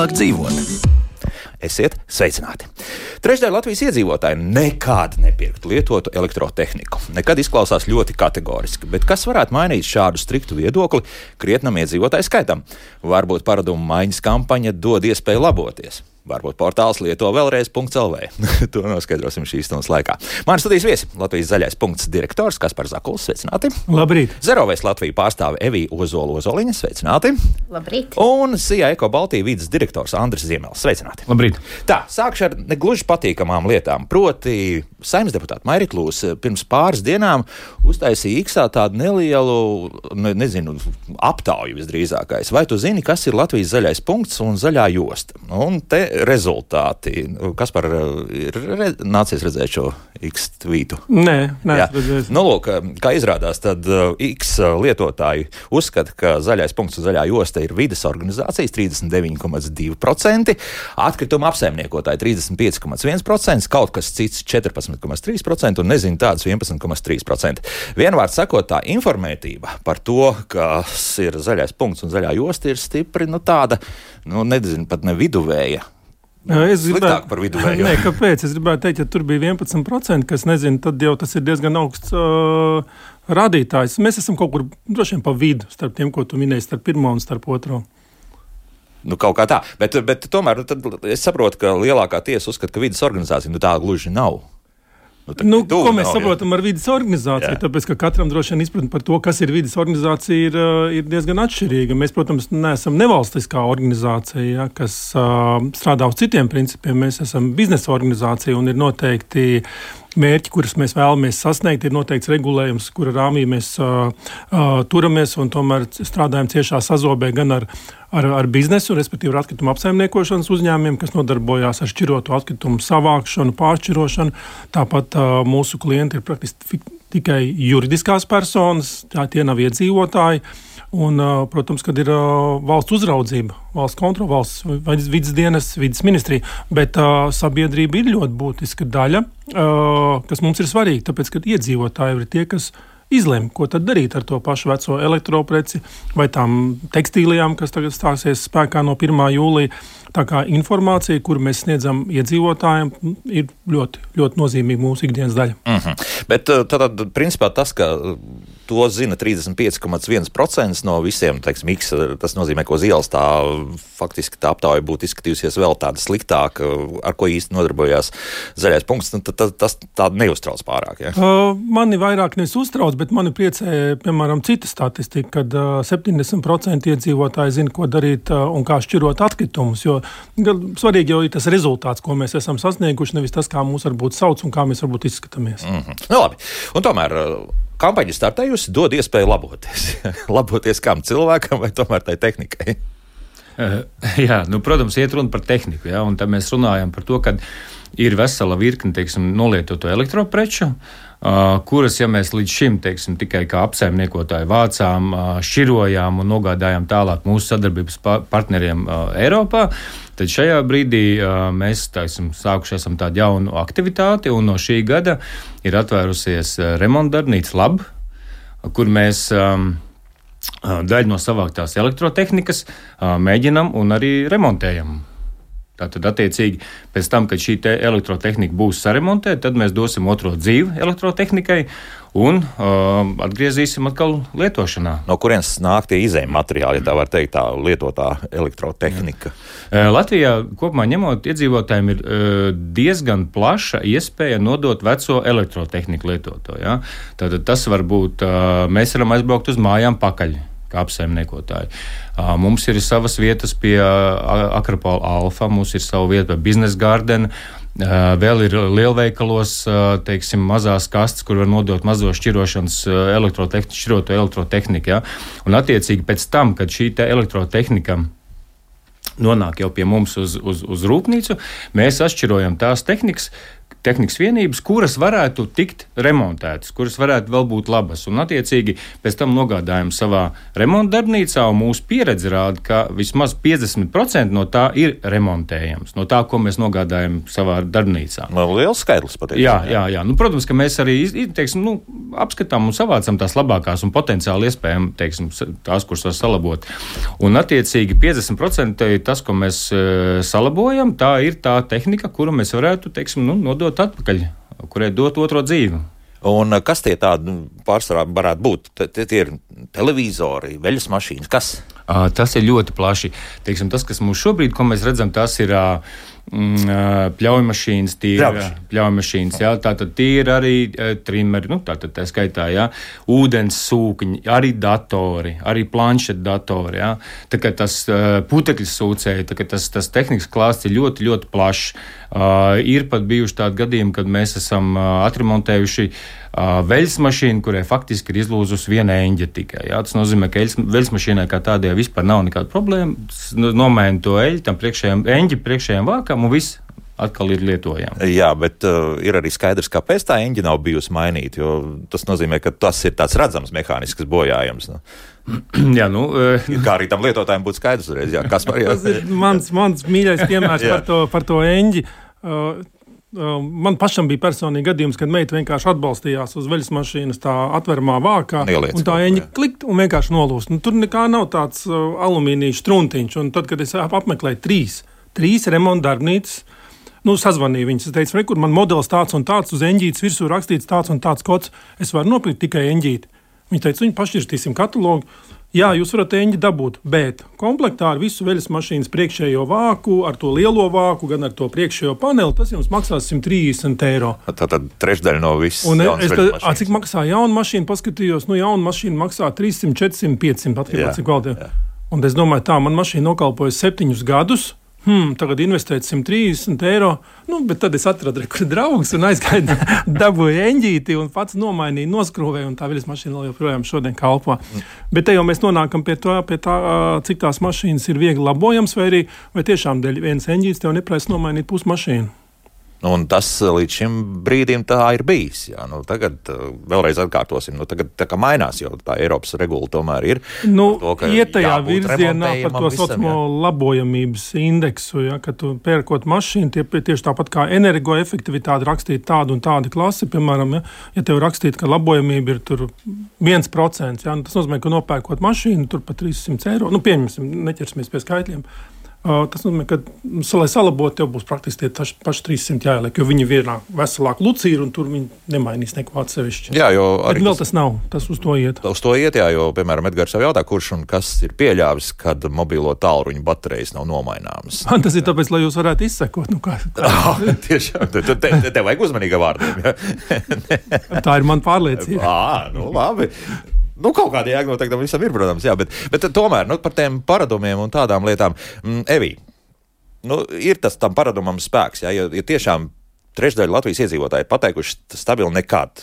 labāk dzīvot. Esiet sveicināti! Trešdaļa Latvijas iedzīvotāji nekad nepirktu lietotu elektrotehniku. Nekad izklausās ļoti kategoriski, bet kas varētu mainīt šādu striktu viedokli krietnam iedzīvotāju skaitam? Varbūt paradumu maiņas kampaņa dod iespēju laboties. Varbūt portāls lieto vēlreiz.lv. To noskaidrosim šīs stundas laikā. Mani studijas viesi Latvijas zaļais punkts direktors Kaspars Zakuls, sveicināti. Labrīt. Zerovēs Latviju pārstāve Evija Ozola-Ozoliņa, sveicināti. Labrīt. Un SIA Eko Baltija vides direktors Andris Ziemels, sveicināti. Labrīt. Tā, sākšu ar negluži patīkamām lietām. Proti, Saeimas deputāta Mairita Lūse pirms pāris dienām uztaisīja X-ā tādu nelielu, aptauju visdrīzākais. Vai tu zini, kas ir Latvijas zaļais punkts un zaļā josta? Un te rezultāti. Kaspar, ir nācies redzēt šo X-tvītu? Nē, redzēs. Nu, lūk, kā izrādās, tad X lietotāji uzskata, ka zaļais punkts un zaļā josta ir vides organizācijas 39,2%, atkrituma apsaimniekotāji 35,1%, kaut kas cits 14,3% un nezinu tādus 11,3%. Vienvārds sakot, tā informētība par to, kas ir zaļais punkts un zaļā josta, ir stipri, tāda, nezinu, pat ne viduvēja. Sliktāk par viduvējo. Nē, kāpēc? Es gribētu teikt, ja tur bija 11%, kas nezinu, tad jau tas ir diezgan augsts rādītājs. Mēs esam kaut kur droši vien pa vidu starp tiem, ko tu minēji, starp pirmo un starp otro. Kaut kā tā. Bet tomēr es saprotu, ka lielākā tiesa uzskata, ka vides organizācija tā gluži nav. Ko mēs saprotam ar vides organizāciju? Tāpēc, ka katram droši vien izpratne par to, kas ir vides organizācija, ir diezgan atšķirīga. Mēs, protams, neesam nevalstiskā organizācija, kas strādā uz citiem principiem. Mēs esam biznesa organizācija un ir noteikti mērķi, kurus mēs vēlamies sasniegt, ir noteikts regulējums, kura rāmī mēs turamies un tomēr strādājam ciešā sazobē gan ar biznesu, respektīvi ar atkritumu apsaimniekošanas uzņēmumiem, kas nodarbojās ar šķirotu atkritumu savākšanu, pāršķirošanu. Tāpat mūsu klienti ir praktiski tikai juridiskās personas, tie nav iedzīvotāji. Un, protams, kad ir valsts uzraudzība, valsts kontrole, valsts vides dienas, vides ministrija, bet sabiedrība ir ļoti būtiska daļa, kas mums ir svarīga, tāpēc, ka iedzīvotāji ir tie, kas izlem, ko tad darīt ar to pašu veco elektropreci vai tām tekstīlijām, kas tagad stāsies spēkā no 1. jūlija. Tā kā informācija, kuru mēs sniedzam iedzīvotājiem, ir ļoti, ļoti nozīmīga mūsu ikdienas daļa. Bet tad, principā, tas, ka to zina 35,1% no visiem, teiksim, X, tas nozīmē, ka uz ielas faktiski tā aptauja būtu izskatījusies vēl tāda sliktāka, ar ko īsti nodarbojās zaļais punkts, tas tā neuztrauc pārāk, ja? Mani vairāk nevis uztrauc, bet mani priecē, piemēram, cita statistika, kad 70% iedzīvotāji zina, ko darīt un kā šķirot atkritumus, jo svarīgi jau ir tas rezultāts, ko mēs esam sasnieguši, nevis tas, kā mūs varbūt sauc un kā mēs varbūt izskatāmies. Labi, un tomēr kampaņa startējusi dod iespēju laboties. Laboties kam? Cilvēkam vai tomēr tai tehnikai? Jā, protams, iet runa par tehniku, ja, un tad mēs runājam par to, ka ir vesela virkne, nolietoto elektropreču, kuras, ja mēs līdz šim, tikai kā apsaimniekotāji vācām, šķirojām un nogādājām tālāk mūsu sadarbības partneriem Eiropā, tad šajā brīdī mēs, sākuši esam tādu jaunu aktivitāti, un no šī gada ir atvērusies remontdarbnīca Lab, kur mēs daļu no savāktās elektrotehnikas mēģinam un arī remontējam. Tātad, attiecīgi, pēc tam, kad šī elektrotehnika būs saremontēta, tad mēs dosim otro dzīvi elektrotehnikai un atgriezīsim atkal lietošanā. No kurienes nāk tie izējuma materiāli, ja tā var teikt, tā lietotā elektrotehnika? Latvijā kopumā ņemot iedzīvotājiem ir diezgan plaša iespēja nodot veco elektrotehniku lietoto. Ja? Tātad tas var būt, mēs varam aizbraukt uz mājām pakaļ, kā apsaimniekotāji. Mums ir savas vietas pie Akropola Alfa, mums ir sava vieta pie Business Garden, vēl ir lielveikalos, mazās kastes, kur var nodot mazo šķirošanas šķiroto elektrotehniku. Ja? Un attiecīgi pēc tam, kad šī elektrotehnika nonāk jau pie mums uz rūpnīcu, mēs atšķirojam tās tehnikas, tehnikas vienības, kuras varētu tikt remontētas, kuras varētu vēl būt labas. Un, attiecīgi, pēc tam nogādājam savā remonta darbnīcā, un mūsu pieredze rāda, ka vismaz 50% no tā ir remontējams, no tā, ko mēs nogādājam savā darbnīcā. Liels skaidrs patiesībā. Jā. Nu, protams, ka mēs arī apskatām un savācam tās labākās un potenciāli iespējami, tās, kuras var salabot. Un, attiecīgi, 50% ir tas, ko mēs salabojam, tā ir tā tehnika, kuru mēs varētu, nodot atpakaļ, kurai dot otro dzīvi. Un kas tie tādi pārsvarā varētu būt? Tie ir televizori, veļas mašīnas, kas? Tas ir ļoti plaši. Tas, kas mums šobrīd, ko mēs redzam, tas ir pļaujmašīnas, pļaujmašīnas, jā, tātad tie ir arī trimeri, tātad tā skaitā, jā, ūdens sūkņi, arī datori, arī planšetdatori, jā, tā kā tas putekļu sūcēji, tā kā tas tehnikas klāsts ir ļoti, ļoti plašs. Ir pat bijuši tādi gadījumi, kad mēs esam atremontējuši veļas mašīnu, kurai faktiski ir izlūzusi viena eņģe tikai. Jā. Tas nozīmē, ka veļas mašīnai kā tādai vispār nav nekāda problēma. Nomaina to eļļu tam eņģi priekšējiem vākam un viss atkal ir lietojama. Jā, bet ir arī skaidrs, kāpēc tā eņģe nav bijusi mainīta, jo tas nozīmē, ka tas ir tāds redzams mehānisks bojājums. Jā, kā arī tam lietotājiem būtu skaidrs uzreiz. Jā, kas tas ir mans mīļais piemērs par to eņģi. Man pašam bija personīgi gadījums, kad meita vienkārši atbalstījās uz veļas mašīnas tā atveramā vākā, un tā eņģa klikt un vienkārši nolūst. Tur nekā nav tāds alumīnija struntiņš, un tad, kad es apmeklēju trīs remonta darbnīcas, sazvanīju viņas, es teicu, kur man modelis tāds un tāds, uz eņģītes virsū rakstīts tāds un tāds kods, es varu nopirkt tikai eņģīti. Viņi teica, viņi pašķirstīsim katalogu. Jā, jūs varat eņģi dabūt, bet komplektā ar visu veļas mašīnas priekšējo vāku, ar to lielo vāku, gan ar to priekšējo paneli, tas jums maksās 130 eiro. Tātad trešdaļa no visas. Un cik maksā jauna mašīna, paskatījos, jauna mašīna maksā 300, 400, 500, atkarībā cik kvalitāte. Un es domāju, tā, man mašīna nokalpoja 7 gadus, tagad investēt 130 eiro, bet tad es atradu draugus un aizgāju, dabūju eņģīti un pats nomainīju, noskrūvēju, un tā veļas mašīna vēl joprojām šodien kalpo. Bet te jau mēs nonākam pie tā, cik tās mašīnas ir viegli labojams, vai tiešām dēļ vienas eņģītes tev neprasa nomainīt pusi mašīnu. Un tas līdz šim brīdim tā ir bijis. Jā. Tagad vēlreiz atkārtosim. Tagad tā kā mainās, jo tā Eiropas regula tomēr ir. Iet tajā virzienā par to saucamo labojamības indeksu, ja, ka tu pērkot mašīnu, tieši tāpat kā energoefektivitāte rakstīt tādu un tādu klasi, piemēram, ja tev rakstīt, ka labojamība ir tur 1%, ja, tas nozīmē, ka nopērkot mašīnu tur pa 300 eiro, pieņemsim, neķersimies pie skaitļiem. Tas nozīmē, ka, lai salabotu, tev būs praktiski tie paši 300 jāieliek, jo viņi vienā veselāk lucīri un tur viņi nemainīs neko atsevišķi. Jā, jo arī vēl tas nav, tas uz to iet. Uz to iet, jā, jo, piemēram, Edgars jau jautā, kurš un kas ir pieļāvis, kad mobilo tālruņu baterijas nav nomaināmas. Tas ir tāpēc, lai jūs varētu izsekot. Tiešām, tev vajag uzmanīga vārdiem. Ja? Tā ir man pārliecība. Labi. Kaut kāda jēga noteikti tam visam ir, protams, jā, bet tomēr par tiem paradumiem un tādām lietām. Evī, ir tas tam paradumam spēks, jā, ja tiešām trešdaļa Latvijas iedzīvotāji pateikuši stabili nekad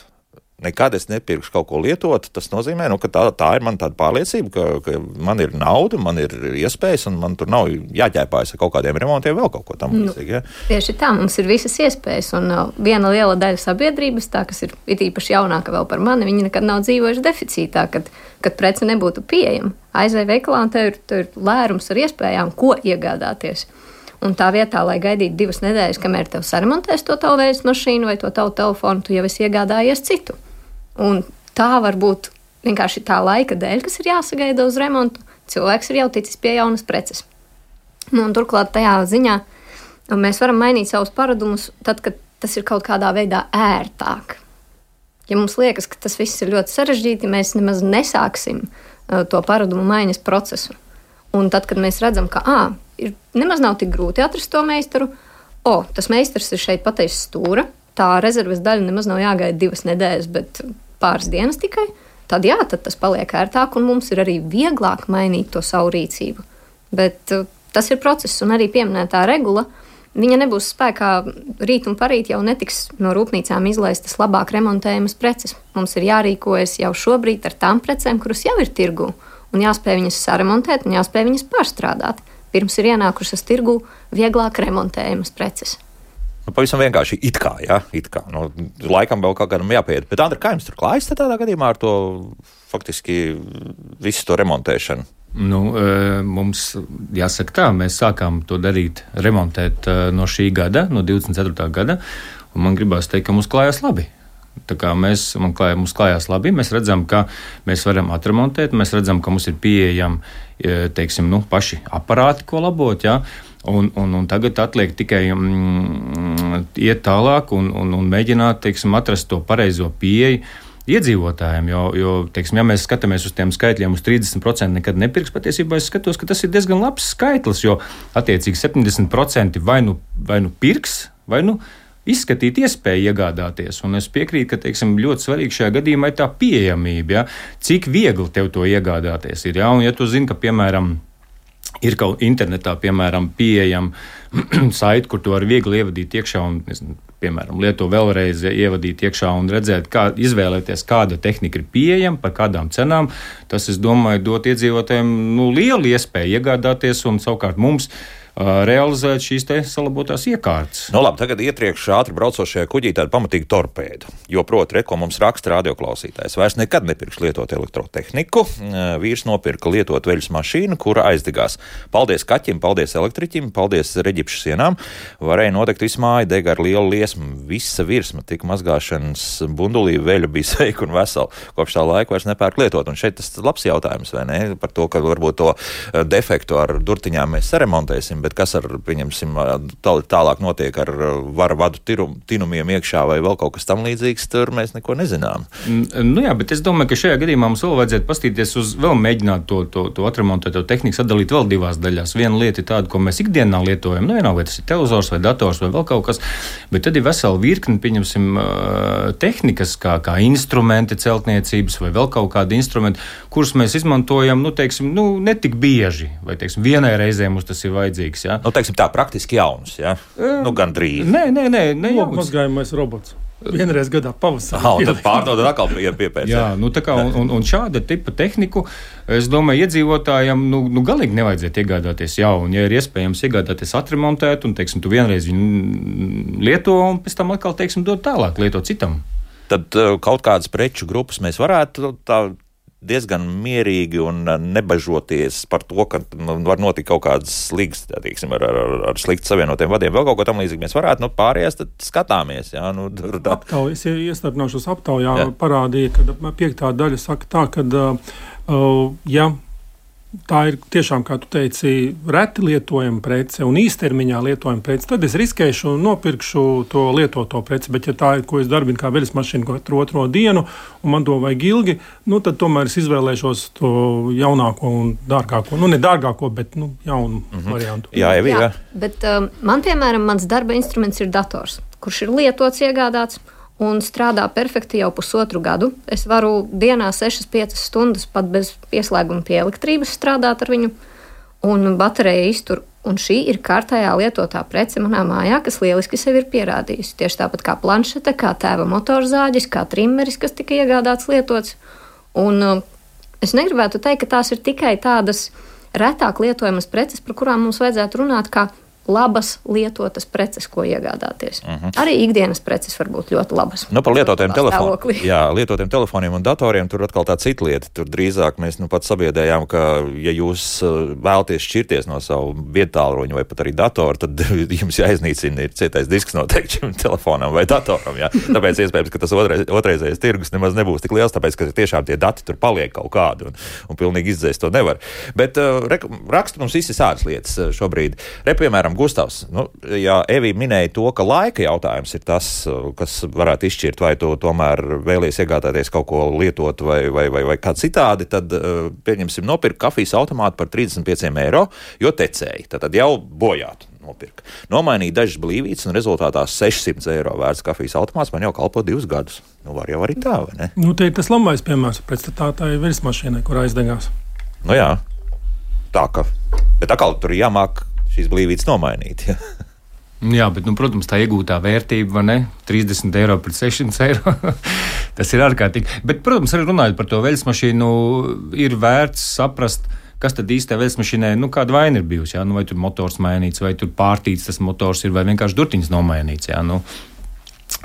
es nepirkšu kaut ko lietot, tas nozīmē, ka tā ir man tāda pārliecība, ka man ir nauda, man ir iespējas, un man tur nav jāķēpājas ar kaut kādiem remontiem, vēl kaut ko tam līdzīgi. Ja? Tieši tā, mums ir visas iespējas, un viena liela daļa sabiedrības, tā, kas ir īpaši jaunāka vēl par mani, viņi nekad nav dzīvojuši deficītā, kad prece nebūtu pieejama. Aizej veikalā, un tev ir lērums ar iespējām, ko iegādāties. Un tā vietā, lai gaidītu 2 nedēļas, kamēr tev saremontēs to tavu veļas mašīnu vai to tavu telefonu, tu jau esi iegādājies citu. Un tā var būt vienkārši tā laika dēļ, kas ir jāsagaida uz remontu. Cilvēks ir jau ticis pie jaunas preces. Un turklāt tajā ziņā mēs varam mainīt savus paradumus tad, kad tas ir kaut kādā veidā ērtāk. Ja mums liekas, ka tas viss ir ļoti sarežģīti, mēs nemaz nesāksim to paradumu maiņas procesu. Un tad, kad mēs redzam, ka nemaz nav tik grūti atrast to meistaru, tas meistars ir šeit pateicis stūra, tā rezerves daļa nemaz nav jāgaida 2 nedēļas, bet pāris dienas tikai, tad tas paliek ērtāk, un mums ir arī vieglāk mainīt to savu rīcību. Bet tas ir process, un arī pieminētā regula, viņa nebūs spēkā rīt un parīt, jau netiks no rūpnīcām izlaistas labāk remontējamas preces. Mums ir jārīkojas jau šobrīd ar tām precēm, kuras jau ir tirgū, un jāspēj viņas saremontēt, un jāspēj viņas pārstrādāt. Pirms ir ienākušas tirgū vieglāk remontējamas preces. Pavisam vienkārši it kā. Laikam vēl kaut kādam jāpieiet. Bet, Andri, kā jums tur klājas tādā gadījumā ar to faktiski visu to remontēšanu? Mums jāsaka tā, mēs sākām to darīt, remontēt no šī gada, no 24. gada, un man gribās teikt, ka mums klājās labi. Tā kā mums klājās labi, mēs redzam, ka mēs varam atremontēt, mēs redzam, ka mums ir pieejami, teiksim, paši aparāti, ko labot, jā. Un tagad atliek tikai iet tālāk un mēģināt, teiksim, atrast to pareizo pieeju iedzīvotājiem, jo teiksim, ja mēs skatāmies uz tiem skaitļiem, uz 30% nekad nepirks, patiesībā es skatos, ka tas ir diezgan labs skaitlis, jo attiecīgi 70% vai nu pirks, vai nu izskatīt iespēju iegādāties. Un es piekrītu, ka, teiksim, ļoti svarīgi šajā gadījumā ir tā pieejamība, ja? Cik viegli tev to iegādāties ir, ja? Un ja tu zini, ka, piemēram, ir kaut internetā, piemēram, pieejama saiti, kur tu vari viegli ievadīt iekšā un, piemēram, lieto vēlreiz ievadīt iekšā un redzēt, izvēlēties, kāda tehnika ir pieejama, par kādām cenām, tas, es domāju, dot iedzīvotājiem lielu iespēju iegādāties un savukārt mums realizēt šīs te salabotās iekārtas. Labi, tagad ietriekš ātri braucošajā kuģī tādu pamatīgu torpēdu, jo proti, ko mums raksta radioklausītājs. Vairs nekad nepirks lietot elektrotehniku. Vīrs nopirka lietot veļas mašīnu, kura aizdegās. Paldies kaķim, paldies elektriķim, paldies reģipšu sienām. Varēja nodegt visu māju, dega ar lielu liesmu. Visa virsma tika mazgāšanas bundulī, veļa bija sveika un vesela. Kopš tā laika vairs nepērk lietot. Un šeit tas labs jautājums, vai ne? Par to, ka varbūt to defektu ar durtiņām mēs saremontēsim, bet kas ar, pieņemsim, tālāk notiek ar vara vadu tinumiem iekšā vai vēl kaut kas tam līdzīgs, tur mēs neko nezinām. Jā, bet es domāju, ka šajā gadījumā mums vēl vajadzētu pastīties uz, vēl mēģināt to atremontēt, to tehniku sadalīt vēl divās daļās. Viena lieta ir tāda, ko mēs ikdienā lietojam, vienalga, vai tas ir televizors vai dators vai vēl kaut kas, bet tad ir vesela virkni, pieņemsim, tehnikas, kā instrumenti celtniecības vai vēl kaut kādi instrumenti, kurus mēs izmantojam, teiksim, netik bieži, vai, teiksim, vienai reizē mums tas ir vajadzīgs. Ja? Teiksim tā, praktiski jauns, ja? Gandrīz. Nē. Mazgājumais robots. Vienreiz gadā pavasarī. Tad pārdod atkal piepēc. Jā, tā kā, un šāda tipa tehniku, es domāju, iedzīvotājiem, galīgi nevajadzētu iegādāties jaunu. Ja ir iespējams iegādāties atremontēt, un, teiksim, tu vienreiz viņu lieto, un pēc tam atkal, teiksim, dod tālāk lietot citam. Tad kaut kādas preču grupas mēs varētu diezgan mierīgi un nebažoties par to, ka var notikt kaut kādas slīgas, teiksim, ar slikti savienotiem vadiem, vēl kaut ko tam līdzīgi mēs varētu, pārējās, tad skatāmies. Jā, Aptaujas, iestarpināšos aptaujā parādīja, ka 5. daļa saka tā, ka, ja tā ir tiešām, kā tu teici, reti lietojama prece un īstermiņā lietojama prece, tad es riskēšu un nopirkšu to lietoto preci, bet ja tā ir, ko es darbinu kā veļas mašīnu katru otro dienu un man to vajag ilgi, tad tomēr es izvēlēšos to jaunāko un dārgāko, ne dārgāko, bet jaunu variantu. Jā. Bet man, piemēram, mans darba instruments ir dators, kurš ir lietots, iegādāts un strādā perfekti jau 1,5 gadu. Es varu dienā 6-5 stundas pat bez pieslēguma pie elektrības strādāt ar viņu, un baterija iztur. Un šī ir kārtējā lietotā prece manā mājā, kas lieliski sevi ir pierādījusi. Tieši tāpat kā planšete, kā tēva motorzāģis, kā trimmeris, kas tika iegādāts lietots. Un es negribētu teikt, ka tās ir tikai tādas retāk lietojamas preces, par kurām mums vajadzētu runāt kā labas lietotas preces, ko iegādāties. Arī ikdienas preces var būt ļoti labas. Par lietotiem telefoniem. Jā, lietotiem telefoniem un datoriem tur atkal tā cita lieta. Tur drīzāk mēs pat sabiedējām, ka, ja jūs vēlaties šķirties no savu viedtālruņu vai pat arī datoru, tad jums jāiznīcina ir cietais disks noteikti šim telefonam vai datoram. Jā. Tāpēc iespējams, ka tas otrreizējais tirgus nemaz nebūs tik liels, tāpēc, ka tiešām tie dati tur paliek kaut kādi un pilnīgi izdzēst to nevar. Bet raksta mums visi sādas lietas šobrīd. Piemēram, Gustavs, ja Evī minēja to, ka laika jautājums ir tas, kas varētu izšķirt, vai tu tomēr vēlies iegādāties kaut ko lietot vai kā citādi, tad pieņemsim nopirkt kafijas automātu par 35 eiro, jo tecēji, tad jau bojātu nopirka. Nomainīja dažas blīvītes un rezultātā 600 eiro vērts kafijas automāts man jau kalpo 2 gadus. Var jau arī tā, vai ne? Te ir tas labais piemērs pretstatā tai veļas mašīnai, kur aizdegās. Jā, tā ka, bet atkal tur jāmāk šīs blīvītes nomainīt. Ja? Jā, bet, protams, tā iegūtā vērtība, vai ne? 30 eiro pret 600 eiro. Tas ir ārkārtīgi. Bet, protams, arī runājot par to veļas mašīnu, ir vērts saprast, kas tad īstajā veļasmašīnai, kāda vaina ir bijusi, jā, vai tur motors mainīts, vai tur pārtīts tas motors ir, vai vienkārši durtiņas nomainīts, jā,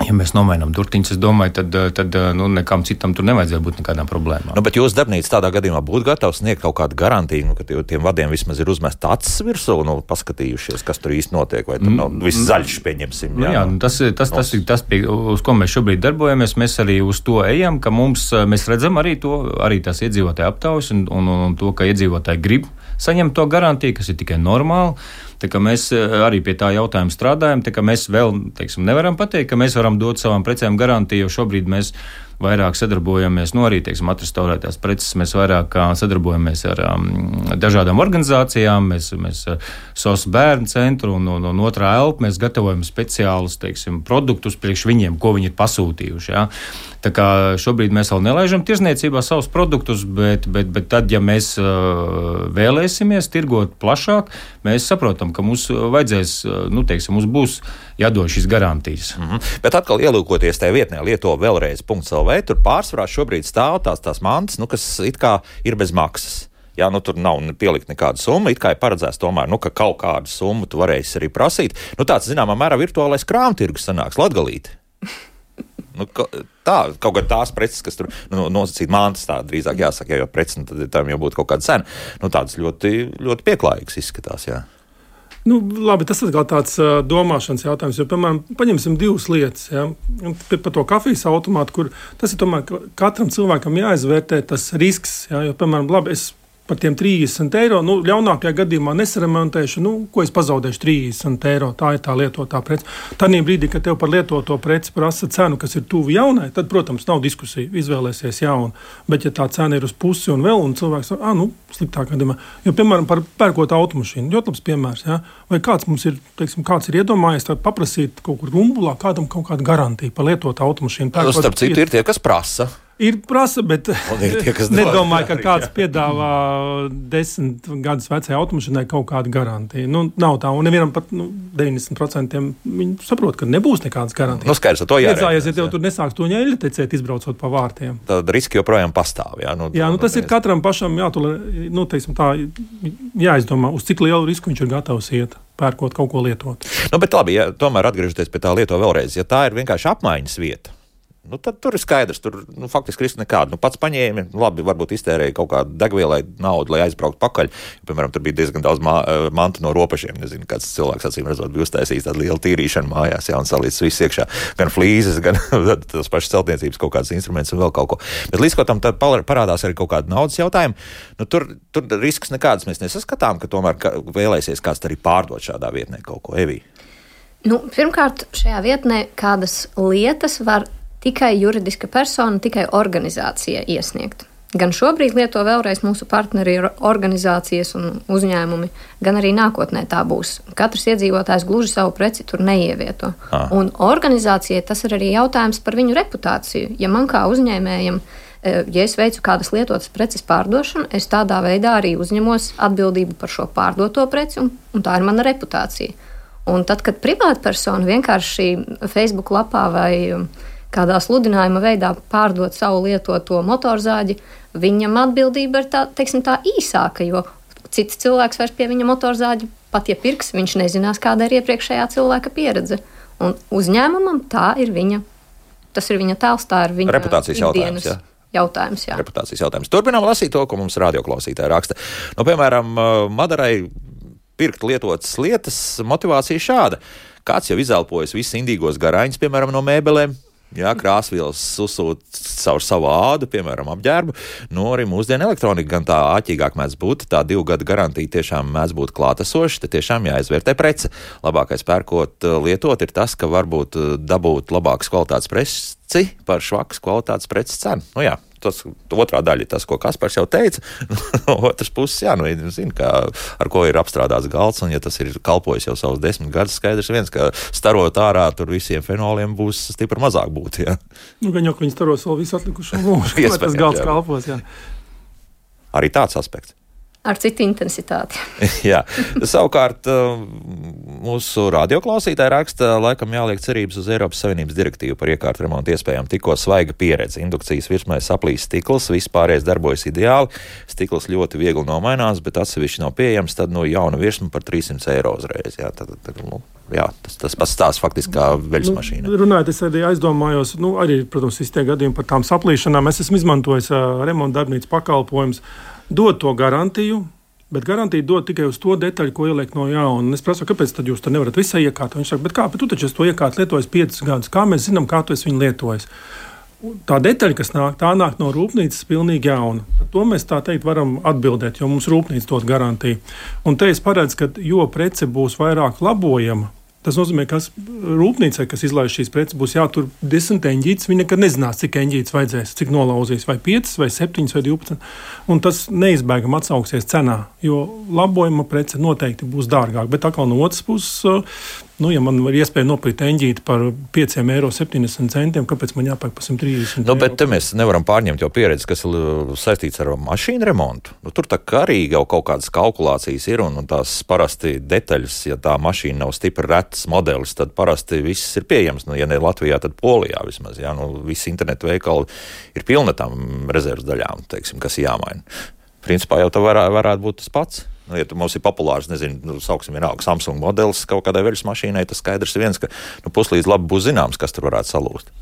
Ja mēs nomainām durtiņus, es domāju, tad nekam citam tur nevajadzēja būt nekādām problēmām. Bet jūsu darbnīca tādā gadījumā būtu gatava sniegt kaut kādu garantiju, ka tiem vadiem vismaz ir uzmest acis virsū, paskatījušies, kas tur īsti notiek, vai tur nav viss zaļš, pieņemsim. Tas ir tas, uz ko mēs šobrīd darbojamies. Mēs arī uz to ejam, ka mēs redzam arī tās iedzīvotāju aptaujas un to, ka iedzīvotāji grib saņemt to garantiju, kas ir tikai normāli. Tā kā mēs arī pie tā jautājuma strādājam, tā kā mēs vēl, nevaram pateikt, ka mēs varam dot savām precēm garantiju, jo šobrīd mēs vairāk sadarbojamies, arī, atrestaurētās preces, mēs vairāk sadarbojamies ar dažādām organizācijām, mēs SOS bērnu centru un otrā elpa, mēs gatavojam speciālus, produktus priekš viņiem, ko viņi ir pasūtījuši, jā. Tā kā šobrīd mēs vēl nelaižam tirzniecībā savus produktus, bet tad, ja mēs vēlēsimies tirgot plašāk, mēs saprotam, ka mums vajadzēs, mums būs jādod šīs garantijas. Bet atkal ielūkoties tajā vietnē lieto-vēlreiz.lv, tur pārsvarā šobrīd stāv tās mantas, kas it kā ir bez maksas. Jā, tur nav pielikt nekāda summa, it kā ir paredzēts tomēr, ka kaut kādu summu tu varēsi arī prasīt. Tāds, zināmā mērā, virtuālais krāmtirgus sanāks Latgalīte. Tā, kaut gan tās preces, kas tur nosacīt mantas, tā drīzāk jāsaka, jo preces, tad tam jau būtu kaut kāda cena. Tādas ļoti, ļoti pieklājīgas izskatās, jā. Labi, tas ir tāds domāšanas jautājums, jo, piemēram, paņemsim divas lietas, ja? Par to kafijas automātu, kur tas ir tomēr katram cilvēkam jāizvērtē tas risks, ja? Jo, piemēram, labi, es par tiem 30 eiro, ļaunākajā gadījumā nesaremontēšu, ko es pazaudēšu 30 eiro, tā ir tā lietotā prece. Tādī brīdī, kad tev par lietoto preci prasa cenu, kas ir tuvu jaunai, tad, protams, nav diskusija, izvēlēsies jaunu. Bet, ja tā cena ir uz pusi un vēl, un cilvēks sliktāk gadījumā, jo, piemēram, par pērkot automašīnu, ļoti labs piemērs, ja? Vai kāds mums ir, kāds ir iedomājies paprasīt kaut kur rumbulā, kādam kaut kādu garantiju par lietotu automašīnu. Starp citu ir tie, kas prasa. Ir prasa, bet nedomāju, ka kāds piedāvā 10 gadus vecai automašīnai kaut kādu garantiju. Nav tā, un nevienam pat 90% viņi saprot, ka nebūs nekādas garantijas. Skaidrs, to jārēķinās. Ja tev tur nesāks to ņēļtecēt, izbraucot pa vārtiem. Tad riski joprojām pastāv, jā? Tas ir katram pašam jāizdomā, uz cik lielu risku viņš ir gatavs iet, pērkot kaut ko lietot. Bet labi, ja tomēr atgriežoties pie tā lieto vēlreiz, ja tā ir vienkārši apmaiņas vieta, tad tur ir skaidrs, tur faktiski riski nekādu. Pats paņēmi, labi, varbūt iztērēja kaut kādu degvielai naudu, lai aizbrauktu pakaļ. Piemēram, tur bija diezgan daudz mantu no ropašiem. Nezinu, kāds cilvēks acīm redzot bija uztaisījis tādu lielu tīrīšanu mājās, un salīdz viss iekšā. Gan flīzes, gan tas pašas celtniecības kaut kāds instruments un vēl kaut ko. Bet līdz ko tam tad parādās arī kaut kāda naudas jautājuma. Tur risks nekāds mēs nesaskatām, ka tomēr vēlēsies kāds arī pārdot šādā vietnē kaut ko. Evī? Pirmkārt, šajā vietnē kādas lietas var tikai juridiska persona, tikai organizācija iesniegt. Gan šobrīd lieto vēlreiz mūsu partneri ir organizācijas un uzņēmumi, gan arī nākotnē tā būs. Katrs iedzīvotājs gluži savu preci tur neievieto. Un organizācijai tas ir arī jautājums par viņu reputāciju. Ja man kā uzņēmējam, ja es veicu kādas lietotas preces pārdošanu, es tādā veidā arī uzņemos atbildību par šo pārdoto preci, un tā ir mana reputācija. Un tad, kad privātpersona vienkārši Facebook lapā vai kādā sludinājuma veidā pārdot savu lietoto motorzāģi, viņam atbildība ir tā īsāka, jo cits cilvēks vairs pie viņa motorzāģi pat ja pirks, viņš nezinās, kāda ir iepriekšējā cilvēka pieredze. Un uzņēmumam tas ir viņa tēls, tā ir viņa reputācijas jautājums. Jā. Reputācijas jautājums. Turpinām lasīt to, ko mums radioklausītāji raksta. Piemēram, Madarai pirkt lietotas lietas, motivācija šāda. Kāds jau izelpojas visus indīgos garāņus, piemēram, no mēbelēm, krāsvielas susūt caur savu ādu, piemēram, apģērbu. Arī mūsdienu elektronika gan tā āķīgāk mēdz būt, tā 2 gadu garantija tiešām mēdz būt klātesoša, te tiešām jāizvērtē prece. Labākais pērkot lietot ir tas, ka varbūt dabūt labākas kvalitātes preci par švakas kvalitātes preces cenu. Tas otrā daļa ir tas, ko Kaspars jau teica. No otras puses, zina, ar ko ir apstrādāts galds, un ja tas ir kalpojis jau savus 10 gadus, skaidrs viens, ka starot ārā tur visiem fenoliem būs stipri mazāk būt, jā. Gan jau, ka viņi staros vēl visu atlikušo mūžu, lai tas galds kalpos, jā. Arī tāds aspekts. ar citu intensitāti. Jā, savukārt mūsu radioklausītāji raksta, laikam jāliek cerības uz Eiropas Savienības direktīvu par iekārtu remontu iespējām tikko svaiga pieredze. Indukcijas virsmai saplīs stikls, viss pārējais darbojas ideāli, stikls ļoti viegli nomainās, bet atsevišķi nav pieejams, tad jauna virsma par 300 eiro uzreiz. Jā, tas pats stāsts faktiski kā veļas mašīna. Runājot, es arī aizdomājos, arī, protams, visi tie gadījumi par tām saplīšanām. Es esmu izmantojis remonta darbnīcas pakalpojumus, dod to garantiju, bet garantija dod tikai uz to detaļu, ko ieliek no jauna. Es prasu, kāpēc tad jūs to nevarat visai iekārtot? Viņš saka, bet tu taču to iekārtu lietojis 5 gadus. Kā mēs zinām, kā tu esi viņu lietojis? Tā detaļa, kas nāk no rūpnīcas, pilnīgi jauna. Par to mēs tā teikt varam atbildēt, jo mums rūpnīca dod garantiju. Un te es paredzu, ka jo prece būs vairāk labojama, tas nozīmē, ka rūpnīcai, kas izlaiž šīs preces, būs jātur 10 eņģītes. Viņi nekad nezinās, cik eņģītes vajadzēs, cik nolauzīs, vai 5, vai 7, vai 12. Un tas neizbēgami atsauksies cenā, jo labojuma prece noteikti būs dārgāk. Bet atkal no otras puses, ja man var iespēja nopirkt eņģīti par 5,70 eiro, kāpēc man jāpērk par 130 eiro? Bet te mēs nevaram pārņemt jau pieredzi, kas ir saistīts ar mašīnu remontu. Tur tā kā arī jau kaut kādas kalkulācijas ir, un tās parasti detaļas, ja tā mašīna nav stipri rets modelis, tad parasti viss ir pieejams. Ja ne Latvijā, tad Polijā vismaz. Jā, visi internetu veikali ir pilni tām rezerves daļām, teiksim, kas jāmaina. Principā jau tā varētu būt tas pats. Ja mums ir populārs, sauksim vienalga Samsung modelis kaut kādai veļas mašīnai, tas skaidrs ir viens, ka puslīdz labi būs zināms, kas tur varētu salūst.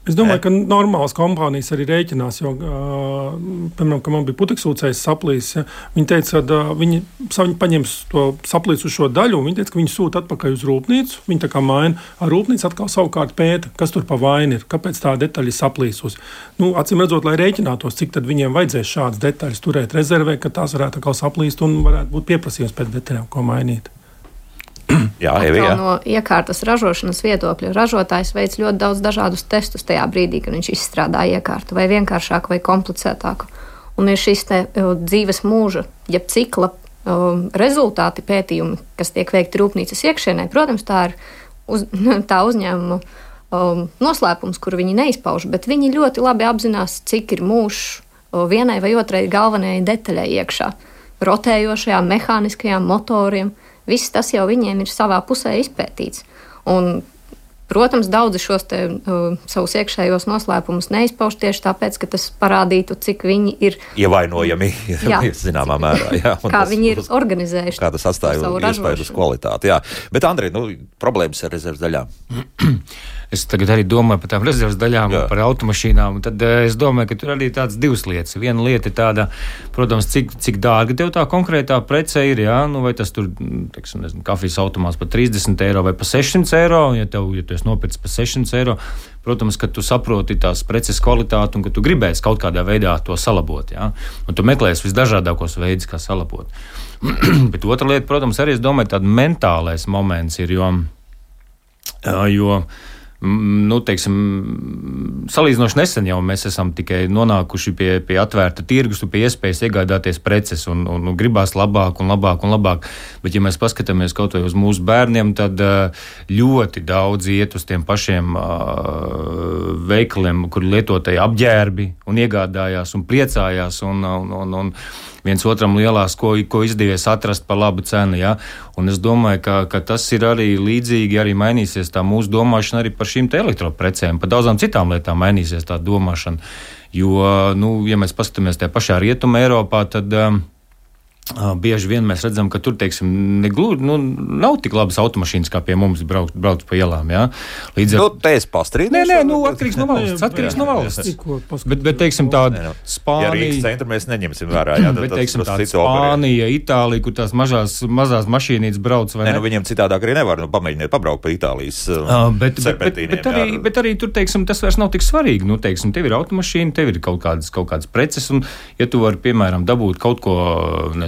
Es domāju, ka normālas kompānijas arī rēķinās, jo, piemēram, ka man bija puteksūcējs saplīs, viņi teica, ka viņi paņems to saplīs uz šo daļu, un viņi teica, ka viņi sūta atpakaļ uz rūpnīcu, viņi tā kā maina, ar rūpnīcu atkal savukārt pēta, kas tur pa vainu ir, kāpēc tā detaļa saplīsus. Acīm redzot, lai rēķinātos, cik tad viņiem vajadzēs šādas detaļas turēt rezervē, ka tās varētu atkal saplīst un varētu būt pieprasījums pēc detaļām, ko mainīt. Jā, no iekārtas ražošanas viedokļa ražotājs veic ļoti daudz dažādus testus tajā brīdī, kad viņš izstrādā iekārtu, vai vienkāršāku, vai komplicētāku. Un ir šis dzīves mūža, jeb cikla rezultāti pētījumi, kas tiek veikti rūpnīcas iekšienē. Protams, tā ir tā uzņēmuma noslēpums, kuru viņi neizpauž, bet viņi ļoti labi apzinās, cik ir mūžs vienai vai otrai galvenajai detaļai iekšā. Rotējošajām, mehāniskajām motoriem. Viss tas jau viņiem ir savā pusē izpētīts. Un, protams, daudzi šos savus iekšējos noslēpumus neizpauž tieši tāpēc, ka tas parādītu, cik viņi ir ievainojami, zināmā mērā. Jā, kā viņi ir organizējuši. Kā tas atstāja iespēju uz kvalitāti. Jā. Bet, Andrej, problēmas ar rezerves daļām? Es tagad arī domāju par tām rezerves daļām, par automašīnām. Tad es domāju, ka tur arī ir tādas divas lietas. Viena lieta ir tāda, protams, cik dārga tev tā konkrētā prece ir. Jā? Vai tas tur, kafijas automāts par 30 eiro vai par 600 eiro, ja tu esi nopircis par 600 eiro. Protams, ka tu saproti tās preces kvalitāti un ka tu gribēsi kaut kādā veidā to salabot. Jā? Un tu meklēsi visdažādākos veidus, kā salabot. Bet otra lieta, protams, arī es domāju, tāda mentālais moments ir, jo salīdzinoši nesen jau mēs esam tikai nonākuši pie atvērta tirgus, pie iespējas iegādāties preces un gribās labāk un labāk un labāk. Bet, ja mēs paskatāmies kaut vai uz mūsu bērniem, tad ļoti daudz iet uz tiem pašiem veikaliem, kur lietotāji apģērbi un iegādājās un priecājās un viens otram lielās, ko izdevies atrast par labu cenu. Ja? Un es domāju, ka tas ir arī līdzīgi, arī mainīsies tā mūsu domāšana arī par šīm te elektroprecēm, par daudzām citām lietām mainīsies tā domāšana. Jo, ja mēs paskatāmies tajā pašā Rietuma Eiropā, tad bieži vien mēs redzam, ka tur, teiksim, nav tik labas automašīnas, kā pie mums brauc pa ielām, jā. Līdz ar... te es pastrīdīšu. Nē, atkarīgs no valsts. Bet, teiksim, tāda Spānija... Ja Rīgas centru mēs neņemsim vērā, jā. Bet, teiksim, tāda Spānija, Itālija, kur tās mazās mašīnītes brauc, vai ne? Viņiem citādāk arī nevar, pamēģiniet pabraukt pa Itālijas serpentīniem. Bet arī tur, teiksim, tas vairs nav tik svarīgi. Teiksim, tev ir automašīna, tev ir kaut kādas preces, un ja tu vari, piemēram, dabūt kaut ko,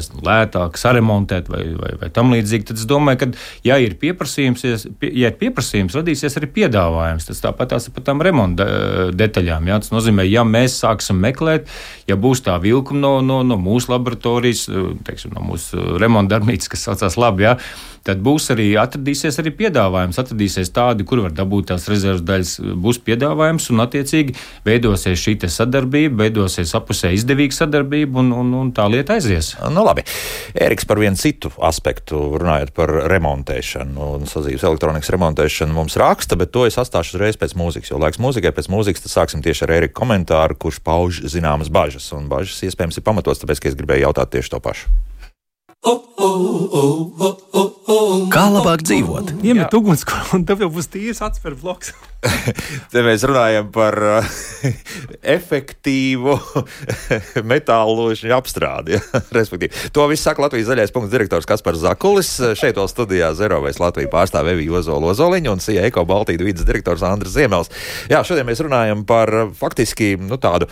iegādāties lētāk, saremontēt vai tam līdzīgi, tad es domāju, ka, ja ir pieprasījums, radīsies arī piedāvājums. Tas tāpat tās par tām remonta detaļām. Jā. Tas nozīmē, ja mēs sāksim meklēt, ja būs tā vilkuma no mūsu laboratorijas, teiksim, no mūsu remonta darbnīcas, kas saucās labi, jā, tad atradīsies arī piedāvājums, atradīsies tādi, kur var dabūt tās rezerves daļas, būs piedāvājums un attiecīgi veidosies šī te sadarbība, veidosies apusē izdevīga sadarbība un tā lieta aizies. Nu labi. Ēriks par vienu citu aspektu, runājot par remontēšanu un sadzīves elektronikas remontēšanu mums raksta, bet to es atstāšu uzreiz pēc mūzikas, jo laiks mūzikai pēc mūzikas, tad sāksim tieši ar Ēriku komentāru, kurš pauž zināmas bažas, un bažas iespējams ir pamatots, tāpēc, ka es gribēju jautāt tieši to pašu. Kā labāk dzīvot? Iemet ugunskura, un tev jau būs tīrs atspēr bloks. Te mēs runājam par efektīvu metālu ložņu apstrādi. Ja? Respektīvi. To viss saka Latvijas zaļais punkts direktors Kaspars Zakulis. Šeit vēl studijā Zerovēs Latviju pārstāv Evija Ozoliņa un CIA Eko Baltīdu vides direktors Andris Ziemels. Jā, šodien mēs runājam par faktiski tādu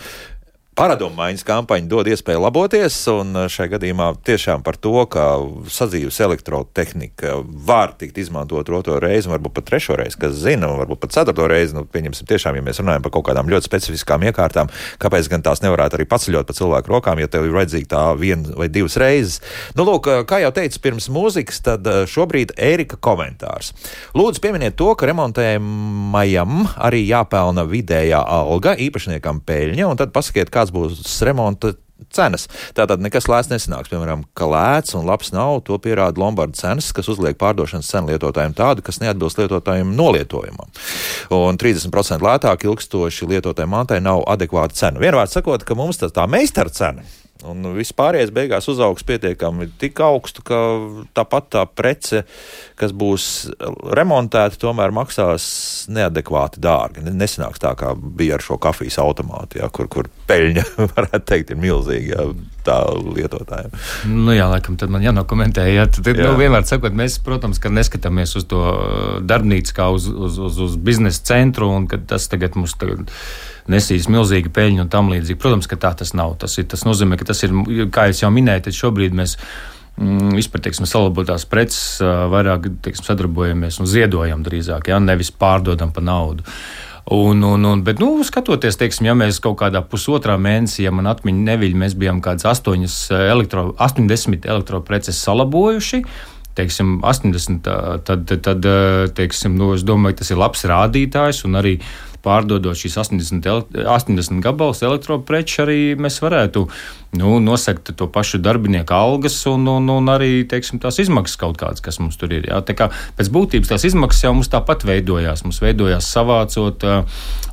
paradumu maiņas kampaņa dod iespēju laboties, un šajā gadījumā tiešām par to, ka sadzīves elektrotehnika var tikt izmantot otro reizi, varbūt pat trešo reizi, kas zina, varbūt pat ceturto reizi, pieņemsim tiešām, ja mēs runājam par kaut kādām ļoti specifiskām iekārtām, kāpēc gan tās nevarētu arī paceļot pa cilvēku rokām, ja tev ir vajadzīga tā viena vai divas reizes. Lūk, kā jau teicu pirms mūzikas, tad šobrīd Ērika komentārs. Lūdzu pieminiet to, ka remontējumajam arī jāpelna vidējā alga, īpašniekam peļņa, un tad pasakiet, kāds būs remonta cenas. Tātad nekas lēts nesanāks. Piemēram, ka lēts un labs nav, to pierāda Lombarda cenas, kas uzliek pārdošanas cenu lietotājiem tādu, kas neatbilst lietotājiem nolietojumam. Un 30% lētāk ilgstoši lietotājiem mantai nav adekvāta cena. Vienvārds sakot, ka mums tā meistara cena un vispārējais beigās uzaugs pietiekami tik augstu, ka tāpat tā prece, kas būs remontēta, tomēr maksās neadekvāti dārgi. Nesanāks tā, kā bija ar šo kafijas automātu, ja, kur peļņa, varētu teikt, ir milzīga, ja, tā lietotājiem. Jā, laikam, tad man jānokomentē. Ja, tad, vienmēr sakot, mēs, protams, ka neskatāmies uz to darbnīcu kā uz biznesa centru, un ka tas tagad mums nesīs milzīga peļņa un tam līdzīgi. Protams, ka tā tas nav. Tas nozīmē, ka tas ir, kā es jau minēju, tad šobrīd mēs vispār, teiksim, salabotās preces vairāk, teiksim, sadarbojamies un ziedojam drīzāk, ja, nevis pārdodam pa naudu. Bet, skatoties, teiksim, ja mēs kaut kādā pusotrā mēnesī, ja man atmiņa neviļ, mēs bijām kādas 80 elektropreces salabojuši, teiksim, 80, tad teiksim, es domāju, tas ir labs rādītājs, un arī pārdodot šīs 80 gabalus elektropreču, arī mēs varētu nosegt to pašu darbinieku algas un arī, teiksim, tās izmaksas kaut kādas, kas mums tur ir. Jā. Tā kā pēc būtības tās izmaksas jau mums tāpat veidojās. Mums veidojās savācot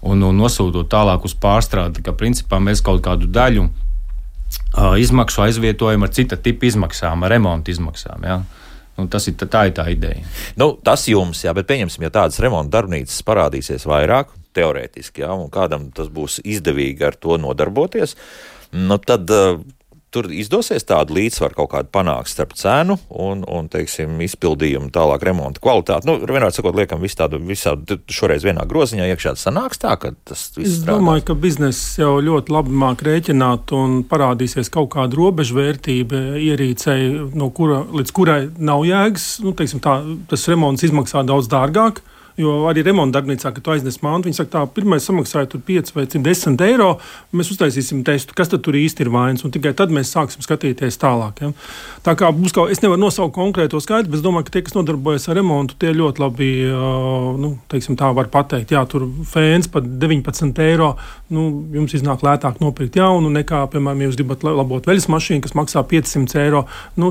un nosūtot tālāk uz pārstrādi. Tā kā principā mēs kaut kādu daļu izmaksu aizvietojam ar cita tipa izmaksām, ar remonta izmaksām. Jā. Tā ir tā ideja. Tas jums, jā, bet pieņemsim, ja tādas remonta darbnīcas parādīsies vairāk, teorētiski, jā, un kādam tas būs izdevīgi ar to nodarboties, tad tur izdosies tādu līdzsvaru kaut kādu panākt starp cenu un teiksim, izpildījumu tālāk remonta kvalitāti. Vienmēr sakot, liekam visādi šoreiz vienā groziņā iekšā sanāks tā, ka tas viss strādā. Es domāju, ka bizness jau ļoti labi māk rēķināt un parādīsies kaut kāda robežvērtība ierīcei, līdz kurai nav jēgas. Teiksim, tas remonts izmaksā daudz dārgāk. Jo arī remonta darbnīcā, kad tu aiznes mantu, viņi saka, tā pirmais samaksāja tur 5 vai 10 eiro, mēs uztaisīsim testu, kas tad tur īsti ir vainas, un tikai tad mēs sāksim skatīties tālāk. Ja? Tā kā būs es nevaru nosaukt konkrēto skaitli, bet es domāju, ka tie, kas nodarbojas ar remontu, tie ļoti labi, teiksim tā var pateikt, jā, tur fēns par 19 eiro, jums iznāk lētāk nopirkt jaunu, nekā, piemēram, ja jūs gribat labot veļas mašīnu, kas maksā 500 eiro,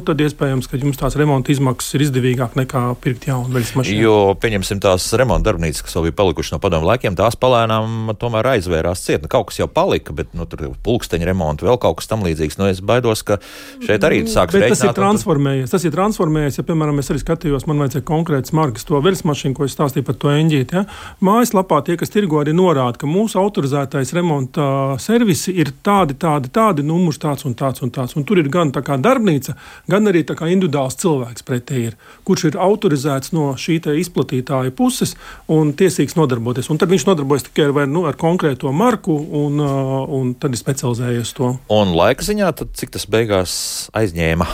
tad iespējams, ka jums tās remonta izmaksas ir izdevīgāk nekā pirkt jaunu veļas mašīnu. Jo, pieņemsim tās remonta darbnīcas, kas vēl bija palikuši no padomu laikiem, tās palēnām tomēr aizvērās ciet. Kaut kas jau palika, bet tur ir pulksteņa remonta, vēl kaut kas tam līdzīgs. Es baidos, ka šeit arī sāks reiķināt. Tas ir transformējies. Ja, piemēram, es arī skatījos, man vajadzēja konkrētas markas to veļas mašīnu, ko es stāstīju par to eņģīti. Ja? Mājaslapā tie, kas tirgo, arī norāda, ka mūsu autorizētais Latvijas remonta servisi ir tādi, numurs tāds un tāds. Un tur ir gan tā kā darbnīca, gan arī tā kā individuāls cilvēks pretī ir, kurš ir autorizēts no šī te izplatītāja puses un tiesīgs nodarboties. Un tad viņš nodarbojas tikai ar konkrēto marku un tad ir specializējies to. Un laika ziņā, tad cik tas beigās aizņēma?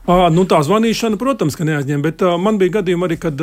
Tā zvanīšana, protams, ka neaizņem, bet man bija gadījumi arī, kad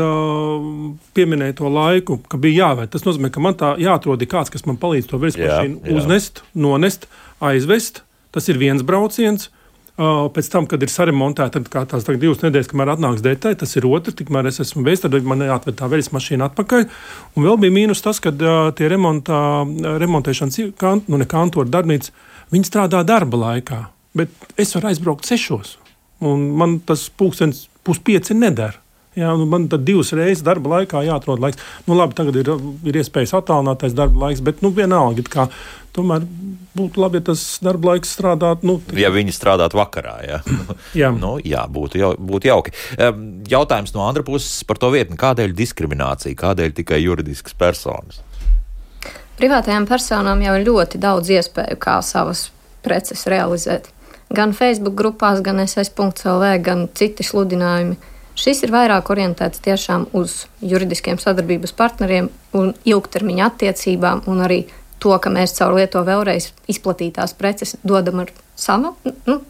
pieminēja to laiku, ka bija jāvērt. Tas nozīmē, ka man tā jāatrod kāds, kas man palīdz to versmašīnu uznest, nonest, aizvest. Tas ir viens brauciens. Pēc tam, kad ir saremontēta, tad kā tās 2 nedēļas, kamēr atnāks detaļa, tas ir otrs, tikmēr es esmu veids, tad man jāatved tā veļas atpakaļ. Un vēl bija mīnus tas, ka tie remontēšanas kantori darbnīca, viņi strādā darba laikā, bet es varu aizbraukt 6. Un man tas 4:30 nedara. Jā, man tad 2 reizes darba laikā jāatrod laiks. Labi, tagad ir iespējas attālinātais darba laiks, bet vienalga, kā tomēr būtu labi, ja tas darba laiks strādātu. Ja viņi strādātu vakarā, jā. Jā, būtu jauki. Jautājums no Andra puses par to vietni. Kādēļ diskriminācija? Kādēļ tikai juridiskas personas? Privātajām personām jau ir ļoti daudz iespēju, kā savas preces realizēt. Gan Facebook grupās, gan ss.lv, gan citi sludinājumi. Šis ir vairāk orientēts tiešām uz juridiskiem sadarbības partneriem un ilgtermiņa attiecībām, un arī to, ka mēs caur lieto vēlreiz izplatītās preces dodam ar savu,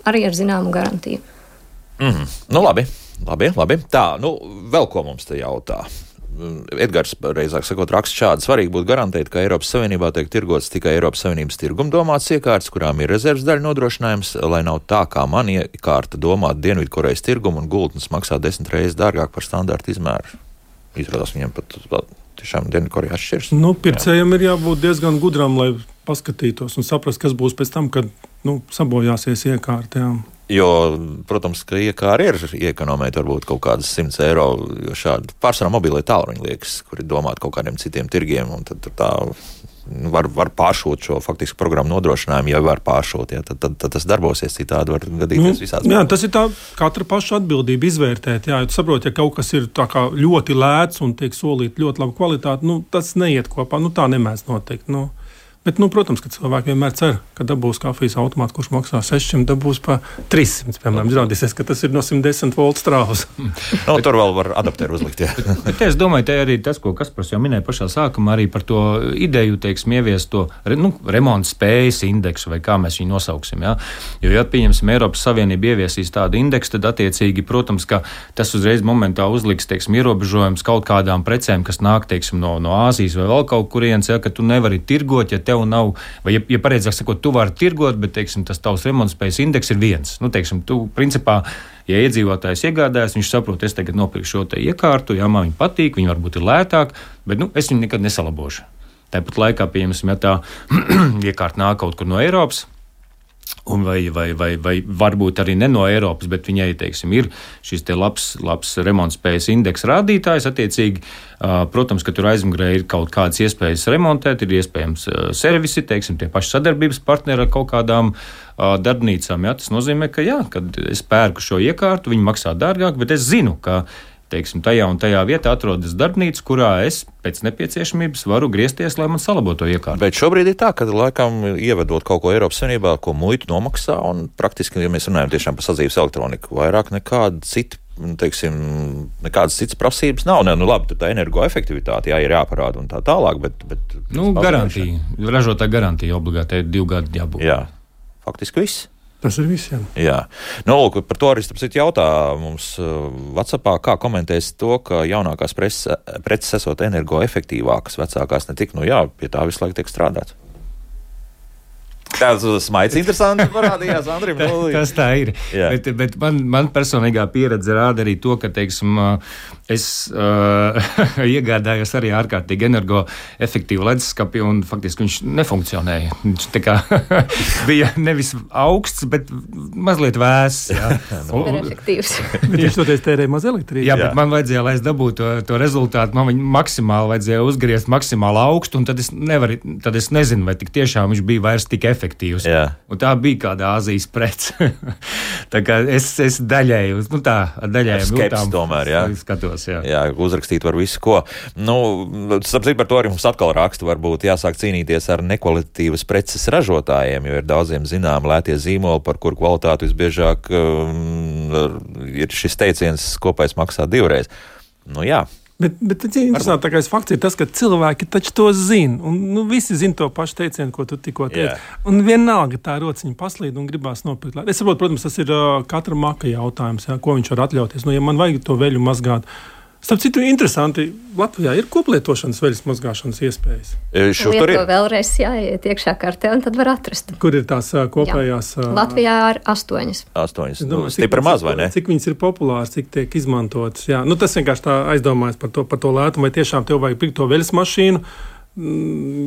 arī ar zināmu garantiju. Labi. Tā, vēl ko mums te jautā? Edgars, reizāk sakot, raksta šādi: svarīgi būtu garantēt, ka Eiropas Savienībā tiek tirgots tikai Eiropas Savienības tirguma domāts iekārtas, kurām ir rezerves daļu nodrošinājums, lai nav tā, kā man iekārta domāt Dienvidkorejas tirgumu un gultnes maksā 10 reizes dārgāk par standarta izmēru. Izrādās viņiem pat tiešām Dienvidkoreja atšķirs. Pircējiem ir jābūt diezgan gudram, lai paskatītos un saprast, kas būs pēc tam, kad sabojāsies iekārta. Jo, protams, ka iekāri ir iekonomēt varbūt kaut kādas 100 eiro, jo šādi pārsvarā mobilie tālruņi liekas, kuri domāt kaut kādiem citiem tirgiem, un tad tā var pāršūt šo faktisku programmu nodrošinājumu, ja var pāršūt, tad tas darbosies, citādi var gadīties visāds. Jā, tas ir tā katra paša atbildība izvērtēt, tu saproti, ja kaut kas ir tā kā ļoti lēts un tiek solīt ļoti labu kvalitāti, tas neiet kopā, tā nemēdz notikt, Bet, protams, ka cilvēki vienmēr cer, ka dabūs kafijas automāts, kurš maksā 600, dabūs pa 300, piemēram. Izrādīsies, ka tas ir no 110 voltu strāvas. Tur vēl var adapteru uzlikt, jā. Bet es domāju, te arī tas, ko Kaspars jau minēja pašā sākumā, arī par to ideju, ieviest to remonta spējas indeksu, vai kā mēs viņu nosauksim, jā. Jo, ja pieņemsim, Eiropas Savienība ieviesīs tādu indeksu, tad attiecīgi, protams, ka tas uzreiz momentā uzliks, ierobežojums kaut kādām precēm, kas nāk, no Āzijas vai vēl kaut kurienes, ka tu nevari tirgot, ja tev nav, vai, ja pareizāk sakot, tu vari tirgot, bet, tas tavs remontspējas indeks ir 1. Tu, principā, ja iedzīvotājs iegādājas, viņš saprot, es tagad nopirku šo te iekārtu, man viņa patīk, viņa varbūt ir lētāk, bet, es viņu nekad nesalabošu. Tāpat laikā, pieņemsim, ja tā iekārta nāk kaut kur no Eiropas, un vai varbūt arī ne no Eiropas, bet viņai, ir šis te labs remontspējas indeks rādītājs, attiecīgi, protams, ka tur aizmugurē ir kaut kādas iespējas remontēt, ir iespējams servisi, tie paši sadarbības partneri ar kaut kādām darbnīcām, tas nozīmē, ka kad es pērku šo iekārtu, viņi maksā dārgāk, bet es zinu, ka tajā un tajā vietā atrodas darbnīca, kurā es pēc nepieciešamības varu griezties, lai man salabotu to iekārtu. Bet šobrīd ir tā, ka laikam ievedot kaut ko Eiropas Savienībā, ko muitu nomaksā, un praktiski, ja mēs runājam tiešām par sadzīves elektroniku, vairāk nekāda cita, nekādas citas prasības nav. Labi, tur tā energoefektivitāte ir jāparāda un tā tālāk, bet garantija, ražotāja garantija obligāti 2 gadi jābūt. Jā, faktiski viss. Tas ir viss, jā. Par to arī starp citu jautā mums WhatsAppā, kā komentēs to, ka jaunākās preces esot energoefektīvākas, vecākās ne tik, pie tā visu laiku tiek strādāts. Tāds smaids interesants parādījās Andrim. Tas tā ir. Bet man personīgā pieredze rāda arī to, ka, es iegādājos arī ārkārtīgi energoefektīvu leduskapi, un faktiski viņš nefunkcionēja. Viņš tā kā bija nevis augsts, bet mazliet vēss. Superefektīvs. Bet viņš toties tērēja maz elektrības. Jā, bet man vajadzēja, lai es dabūtu to rezultātu, man viņu maksimāli vajadzēja uzgriezt maksimāli augstu, un tad es nezinu, vai tik tiešām viņš bija vairs tik efektīvs. Un tā bija kāda Āzijas prece. Tā kā es daļēji uz, skepsi tomēr, jā. Skatos, jā. Jā, uzrakstīt var visu, ko. Sapratu, par to arī mums atkal raksta, varbūt jāsāk cīnīties ar nekvalitatīvas preces ražotājiem, jo ir daudziem zinām lētie zīmoli, par kuru kvalitāti visbiežāk ir šis teiciens kopais maksā 2 reizes. Jā. Bet interesantākais fakts ir tas, ka cilvēki taču to zina. Un visi zina to pašu teicienu, ko tu tikko teici. Un vienalga tā rociņa paslīd un gribās nopirkt. Es saprotu, protams, tas ir katra maka jautājums, ko viņš var atļauties. Ja man vajag to veļu mazgāt. Starp citu, interesanti, Latvijā ir koplietošanas veļas mazgāšanas iespējas. Tur ir vēlreiz jāiet iekšā kartē, un tad var atrast. Kur ir tās kopējās? Jā. Latvijā ir 8. 8. Stipri maz, vai ne? Cik viņas ir populāras, cik tiek izmantotas. Jā. Tas vienkārši tā aizdomājas par to lētumu, vai tiešām tev vajag pirkt to veļas mašīnu,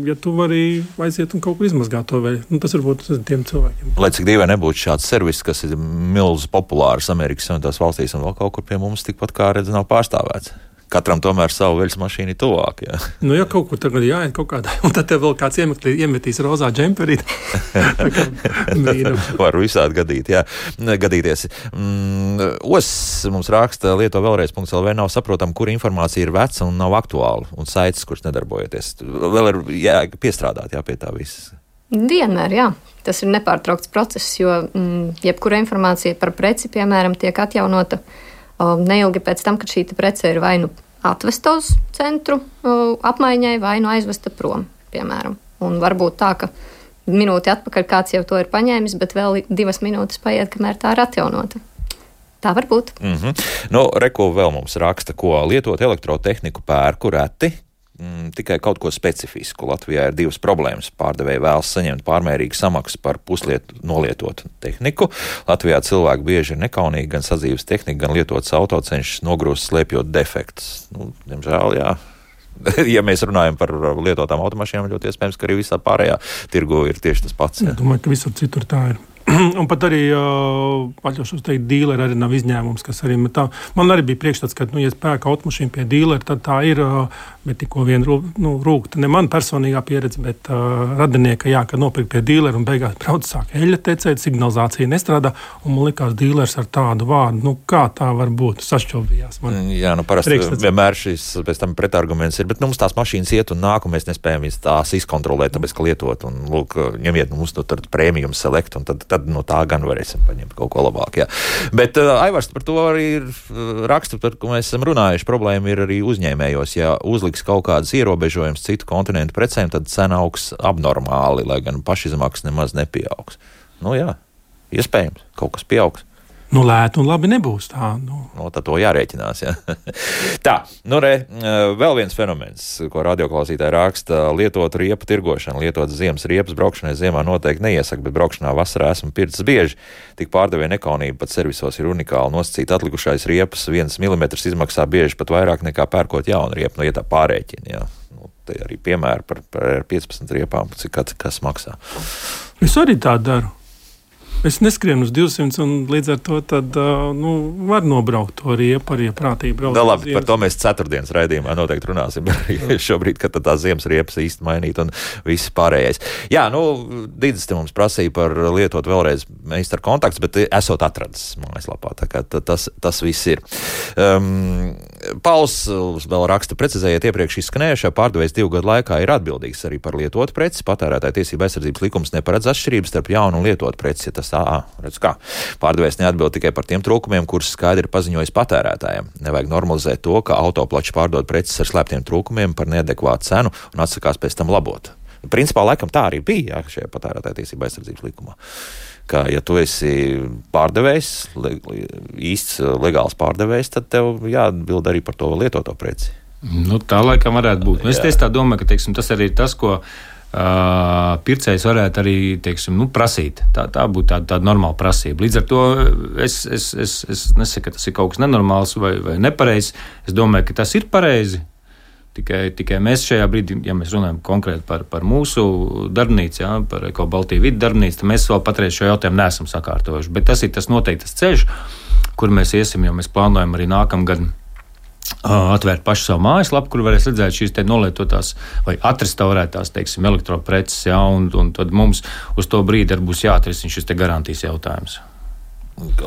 ja tu vari aiziet un kaut kur izmazgāt to veļu. Tas varbūt tiem cilvēkiem. Lai cik dīvaini nebūtu šāds servis, kas ir milz populārs Amerikas Savienotās valstīs un vēl kaut kur pie mums tikpat kā redz nav pārstāvēts. Katram tomēr savu veļas mašīnu ir tuvāk. Jā. Ja kaut kur tagad jāiet kaut kādā, un tad tev vēl kāds iemetīs rozā džemperīt. Var visādi gadīties. Os mums raksta Lieto vēlreiz.lv nav saprotam, kur informācija ir veca un nav aktuāla, un saites, kuras nedarbojoties. Vēl ir piestrādāt pie tā visas. Vienmēr, jā. Tas ir nepārtraukts process, jo jebkura informācija par preci, piemēram, tiek atjaunota neilgi pēc tam, kad šī prece ir vai nu atvesta uz centru apmaiņai, vai nu aizvesta prom, piemēram. Un varbūt tā, ka minūti atpakaļ kāds jau to ir paņēmis, bet vēl 2 minūtes paiet, kamēr tā ir atjaunota. Tā var būt. Reko vēl mums raksta, ko lietot elektrotehniku pērku reti. Tikai kaut ko specifisku. Latvijā ir 2 problēmas. Pārdevēji vēlas saņemt pārmērīgu samaksu par nolietotu tehniku. Latvijā cilvēki bieži ir nekaunīgi, gan sadzīves tehnika, gan lietotas auto cenšas nogrūst slēpjot defektus. Diemžēl, jā. Ja mēs runājam par lietotām automašīnām, ļoti iespējams, ka arī visā pārējā tirgu ir tieši tas pats. Jā. Domāju, ka visur citur tā ir. Un pat arī atļaušos teikt, dīleri arī nav izņēmums, kas arī tā. Man arī bija priekšstats, ka, ja es pērku automašīnu pie dīleri, tad tā ir, bet tikko vien rūkta. Ne man personīgā pieredze, bet radinieka, kad nopirkt pie dīleri un beigās brauc sāk eļļa tecēt, signalizācija nestrādā, un man likās dīlers ar tādu vārdu. Kā tā var būt? Sašķobījās man. Jā, parasti vienmēr šis pēc tam pretarguments ir, bet mums tās mašīnas iet un nāk, un mēs nespējam tās izkontrolēt, tāpēc, ka lietot, un lūk, ņemiet mums to premium select, un tad no tā gan varēsim paņemt kaut ko labāk. Jā. Bet Aivars par to arī ir raksta, par ko mēs esam runājuši. Problēma ir arī uzņēmējos. Ja uzliks kaut kādas ierobežojumus citu kontinentu precēm, tad cena augs abnormāli, lai gan pašizmaksas nemaz nepieaugs. Jā, iespējams, kaut kas pieaugs. Lēti un labi nebūs tā. Tad to jārēķinās. Jā. Tā, vēl viens fenomens, ko radioklausītāji raksta, lietot riepu tirgošana, lietot ziemas riepas braukšanai ziemā noteikti neiesaka, bet braukšanā vasarā esmu pircis bieži. Tik pārdevēja nekaunība, pat servisos ir unikāli nosacīt atlikušais riepas 1 milimetrs izmaksā bieži pat vairāk nekā pērkot jaunu riepu, ja tā pārēķina. Jā. Te arī piemēri par 15 riepām, cik kas maksā. Es arī tā daru. Es neskrienu uz 200, un līdz ar to tad, var nobraukt to riepu, arī prātīgi braukt. Labi, par to mēs ceturtdienas raidījumā noteikti runāsim. Šobrīd, kad tā ziemas riepas īsti mainīt un viss pārējais. Jā, Dīdzis te mums prasīja par lietot vēlreiz meistaru kontakts, bet esot atradis mājaslapā. Tā kā tas viss ir. Pauls vēl raksta, precizējiet iepriekš izskanējušā, pārdevējs 2 gadu laikā ir atbildīgs arī par lietotu preci. Patērētāja tiesība aizsardzības likums neparedz atšķirības starp jaunu un lietotu preci, ja tas redz kā. Pārdevējs neatbild tikai par tiem trūkumiem, kurus skaidri paziņojis patērētājiem. Nevajag normalizēt to, ka autoplači pārdod preces ar slēptiem trūkumiem par neadekvātu cenu un atsakās pēc tam labot. Principā, laikam tā arī bija šajā patērētāja tiesība aizsardzības likumā. Ka, ja tu esi pārdevējs, īsts legāls pārdevējs, tad tev jāatbild arī par to lietoto preci. Tā laikam varētu būt. Es tā domāju, ka tas arī ir tas, ko pircējs varētu arī, prasīt. Tā būtu tāda normāla prasība. Līdz ar to es nesaku, ka tas ir kaut kas nenormāls vai nepareizs. Es domāju, ka tas ir pareizi. Tikai mēs šajā brīdī, ja mēs runājam konkrēti par mūsu darbnīcu, par Eko Baltiju vidu darbnīcu, tad mēs vēl patreiz šo jautājumu neesam sakārtojuši. Bet tas ir tas noteiktas ceļš, kur mēs iesim, jo mēs plānojam arī nākamgad atvērt pašu savu mājaslapu, kur varēs redzēt šīs nolietotās vai atrestaurētās, elektropreces, un tad mums uz to brīdi arī būs jāatrisina šis garantijas jautājums.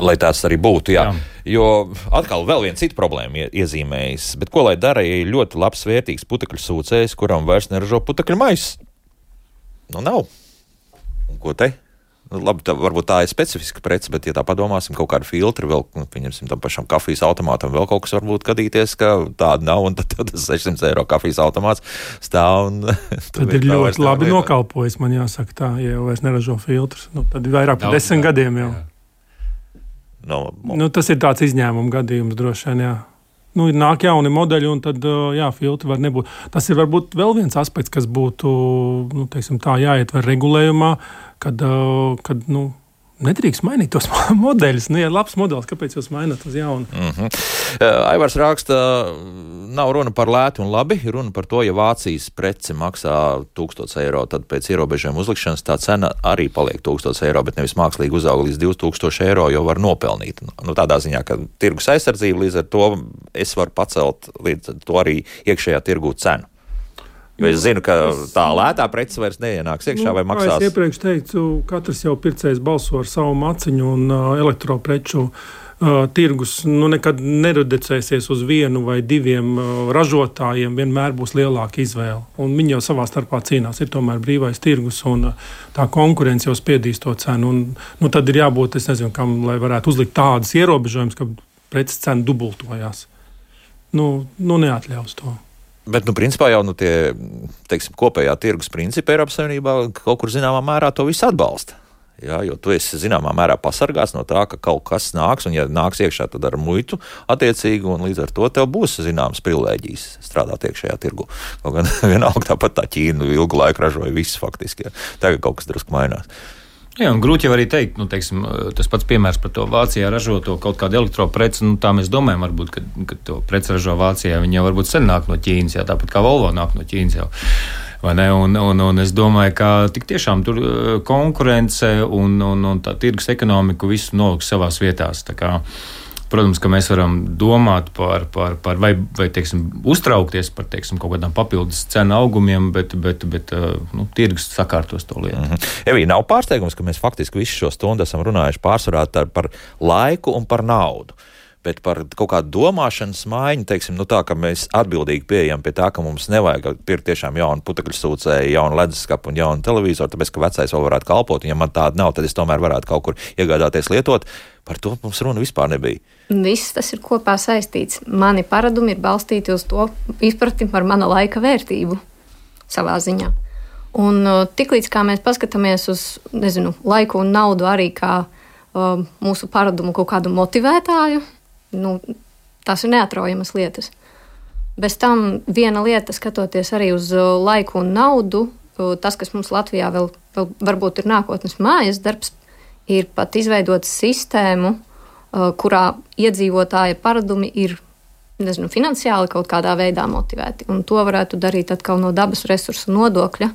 Lai tās arī būtu, jā. Jo atkal vēl viena cita problēma iezīmējas. Bet ko lai dara, ja ir ļoti labs, vērtīgs putekļu sūcējs, kuram vairs neražo putekļu maisus? Nu, nav. Un ko te? Nu, labi, varbūt tā ir specifiska prece, bet, ja tā padomāsim, kaut kādu filtru vēl, pieņemsim tam pašam kafijas automātam, vēl kaut kas varbūt gadīties, ka tāda nav, un tad tas 600 eiro kafijas automāts stāv. Tad ir ļoti labi nokalpojis, man jāsaka tā, ja jau vairs neražo filtrus. Nu, tad ir vairāk par 10 gadiem jau. Nu, tas ir tāds izņēmuma gadījums droši vien, jā. Nu, ir nāk jauni modeļi, un tad, jā, filtri var nebūt. Tas ir varbūt vēl viens aspekts, kas būtu, nu, teiksim tā, jāietver regulējumā, kad nedrīkst mainīt tos modeļus. Nu, ja labs modelis, kāpēc jūs maināt uz jaunu? Aivars raksta, nav runa par lētu un labi, runa par to, ja Vācijas prece maksā 1000 eiro, tad pēc ierobežojuma uzlikšanas tā cena arī paliek 1000 eiro, bet nevis mākslīgi uzauga līdz 2000 eiro, jo var nopelnīt. Nu, tādā ziņā, ka tirgus aizsardzība, līdz ar to es varu pacelt līdz ar to arī iekšējā tirgū cenu. Jo es zinu, ka tā lētā prece vairs neienāks iekšā vai maksās. Es iepriekš teicu, katrs jau pircējs balso ar savu maciņu un elektropreču tirgus nekad nereducēsies uz vienu vai diviem ražotājiem, vienmēr būs lielāka izvēle. Un viņi jau savā starpā cīnās, ir tomēr brīvais tirgus un tā konkurence jau spiedīs to cenu. Un tad ir jābūt, es nezinu, kam, lai varētu uzlikt tādas ierobežojumus, ka preces cena dubultojās. Neatļaus to. Bet, principā jau tie, teiksim, kopējā tirgus principi Eiropas Savienībā kaut kur zināmā mērā to visu atbalsta. Jā, jo tu esi zināmā mērā pasargāts no tā, ka kaut kas nāks, un ja nāks iekšā, tad ar muitu attiecīgi, un līdz ar to tev būs zināmas privilēģijas strādāt iekšējā tirgu. Kaut gan vienalga tāpat tā Ķīna ilgu laiku ražoja viss faktiski. Jā. Tagad kaut kas drusku mainās. Jā, un grūti jau arī teikt, teiksim, tas pats piemērs par to Vācijā ražoto kaut kādu elektropreci, tā mēs domājam varbūt, ka to preci ražo Vācijā, viņi jau varbūt sen nāk no Ķīnas, jā, tāpat kā Volvo nāk no Ķīnas jau, vai ne, un es domāju, ka tik tiešām tur konkurence un tā tirgus ekonomiku visu noliks savās vietās, tā kā, protams, ka mēs varam domāt par vai teiksim, uztraukties par, teiksim, kaut kādām papildus cenu augumiem, bet tirgus sakārtos to lietu. Evī, nav pārsteigums, ka mēs faktiski visu šo stundu esam runājuši pārsvarā par laiku un par naudu. Bet par kaut kādu domāšanas maiņu, teiksim, tā, ka mēs atbildīgi pieejam pie tā, ka mums nevajag pirkt tiešām jaunu putekļu sūcēju, jaunu leduskapu un jaunu televizoru, tāpēc, ka vecais vēl varētu kalpot, un ja man tāda nav, tad es tomēr varētu kaut kur iegādāties lietot. Par to mums runa vispār nebija. Viss tas ir kopā saistīts. Mani paradumi ir balstīti uz to izpratni par mana laika vērtību savā ziņā. Un tiklīdz kā mēs paskatāmies uz, laiku un naudu arī kā mūsu paradumu kaut kādu motivētāju, tās ir neatraujamas lietas. Bez tam viena lieta, skatoties arī uz laiku un naudu, tas, kas mums Latvijā vēl varbūt ir nākotnes mājas darbs, ir pat izveidot sistēmu, kurā iedzīvotāja paradumi ir, finansiāli kaut kādā veidā motivēti. Un to varētu darīt atkal no dabas resursu nodokļa,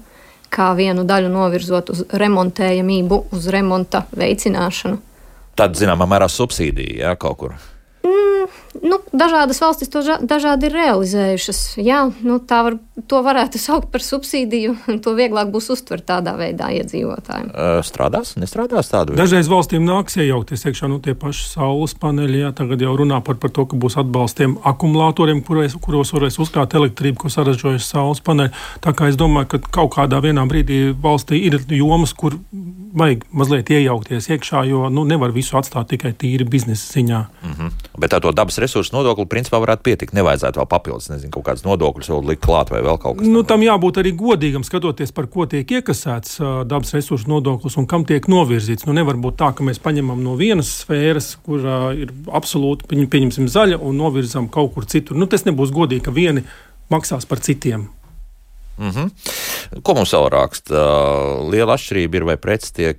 kā vienu daļu novirzot uz remontējamību, uz remonta veicināšanu. Tad, zināmā mērā, subsīdija, jā, kaut kur. Dažādas valstis to dažādi ir realizējušas. Jā, to varētu saukt par subsīdiju, to vieglāk būs uztvert tādā veidā iedzīvotājiem. Strādās, nestrādās tādu? Dažreiz valstīm nāks iejaukties iekšā tie paši saules paneļi, jā, tagad jau runā par to, ka būs atbalstiem akumulatoriem, kuros varēs uzkrāt elektrību, ko saražojas saules paneļi. Tā kā es domāju, ka kaut kādā vienā brīdī valstī ir jomas, kur vajag mazliet iejaukties iekšā, jo nevar visu atstāt tikai tīri biznesa ziņā. Bet tā to dabas resursu nodokli principā varētu pietikt. Nevajadzētu vēl papildus, kaut kādas nodokļus vēl likt klāt vai vēl kaut kas. Tam jābūt arī godīgam, skatoties, par ko tiek iekasēts dabas resursu nodoklis un kam tiek novirzīts. Nevar būt tā, ka mēs paņemam no vienas sfēras, kur ir absolūti, pieņemsim zaļa un novirzam kaut kur citur. Tas nebūs godīgi, ka vieni maksās par citiem. Ko mums vēl raksta? Liela atšķirība ir, vai preci tiek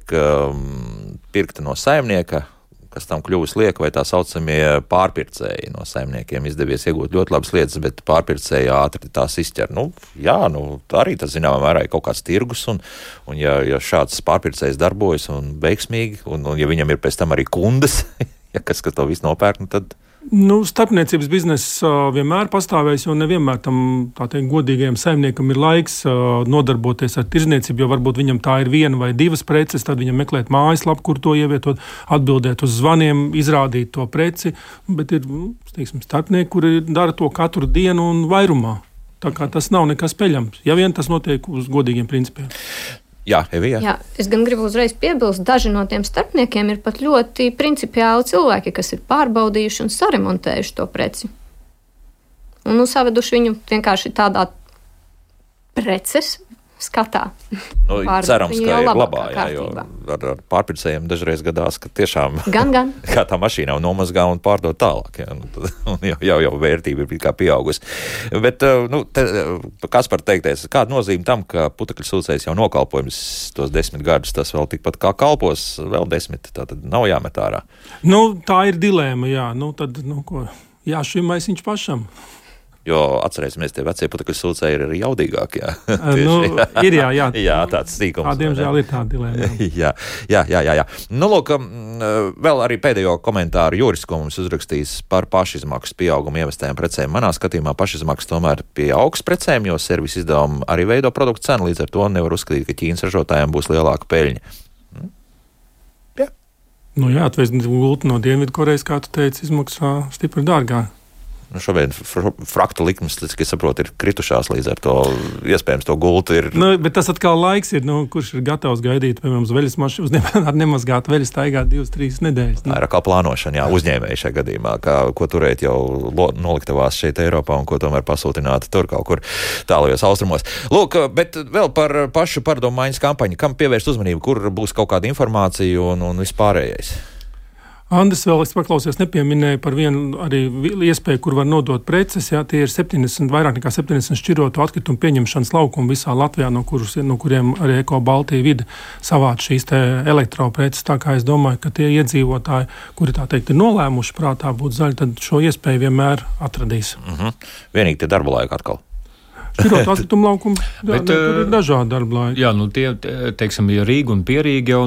pirkta no saimnieka, kas tam kļuvis lieka, vai tā saucamie pārpircēji no saimniekiem izdevies iegūt ļoti labas lietas, bet pārpircēji ātri tās izķer. Arī tas zināmā mērā ir kaut kāds tirgus, un ja šāds pārpircējs darbojas un veiksmīgi, un ja viņam ir pēc tam arī kundas, kas to visu nopērk, tad... Starpniecības bizness vienmēr pastāvēs, jo nevienmēr tam godīgajam saimniekam ir laiks nodarboties ar tirzniecību, jo varbūt viņam tā ir viena vai divas preces, tad viņam meklēt mājaslapu, kur to ievietot, atbildēt uz zvaniem, izrādīt to preci, bet ir, starpnieki, kuri dara to katru dienu un vairumā. Tā kā tas nav nekas peļams, ja vien tas notiek uz godīgiem principiem. Jā, Evija. Jā, es gan gribu uzreiz piebilst, daži no tiem starpniekiem ir pat ļoti principiāli cilvēki, kas ir pārbaudījuši un saremontējuši to preci. Un saveduši viņu vienkārši tādā preces skatā. Cerams, ka ir labā, jo ar pārpircējiem dažreiz gadās, ka tiešām gan. kā tā mašīna nomazgā un pārdod tālāk. Jau vērtība ir kā pieaugusi. Bet, Kaspar teikties, kāda nozīme tam, ka putekļu sūcējs jau nokalpojums tos 10 gadus, tas vēl tikpat kā kalpos vēl 10, tātad nav jāmet ārā. Tā ir dilēma, jā. Ko? Jā, šim maisiņš pašam. Jo atcerēsimies, tie vecie putekļu sūcēji ir arī jaudīgāki. Ir jā. Jā, tāds sīkums. Diemžēl ir tāda dilēma. Jā. Vēl arī pēdējo komentāru Juris, ko mums uzrakstījis par pašizmaksas pieaugumu ievestējām precēm. Manā skatījumā pašizmaksas tomēr pieaugs precēm, jo servis izdevumi arī veido produktu cenu, līdz ar to nevar uzskatīt, ka Ķīnas ražotājiem būs lielāka peļņa. Jā. Atvest gultu no Dienvidkorejas, kā tu teici, izmaksā stipri dārgāk. Šobrīd fraktu likmes, cik es saprotu, ir kritušās, līdz ar to iespējams to gultu ir. Bet tas atkal laiks ir, kurš ir gatavs gaidīt, piemēram, uz veļas mašīnu, ar nemazgāt veļas staigāt 2-3 nedēļas. Tā ir kā plānošana, uzņēmēji šajā gadījumā, ko turēt jau noliktavās šeit Eiropā un ko tomēr pasūtināt tur kaut kur tālajos austrumos. Lūk, bet vēl par pašu pārdomu maiņas kampaņu, kam pievērst uzmanību, kur būs kaut kāda informācija un vispārējais. Andris vēl, es paklausījos, nepieminēja par vienu arī iespēju, kur var nodot preces. Jā, tie ir vairāk nekā 70 šķirotu atkritumu pieņemšanas laukumi visā Latvijā, no kuriem arī Eko Baltija vide savāc šīs elektropreces. Tā kā es domāju, ka tie iedzīvotāji, kuri ir nolēmuši prātā būt zaļi, tad šo iespēju vienmēr atradīs. Vienīgi tie darba laika atkal. Šķirot atkritumu laukumu, tur ir dažādi darba laiki. Jā, tie, teiksim, ja Rīga un Pierīga jau,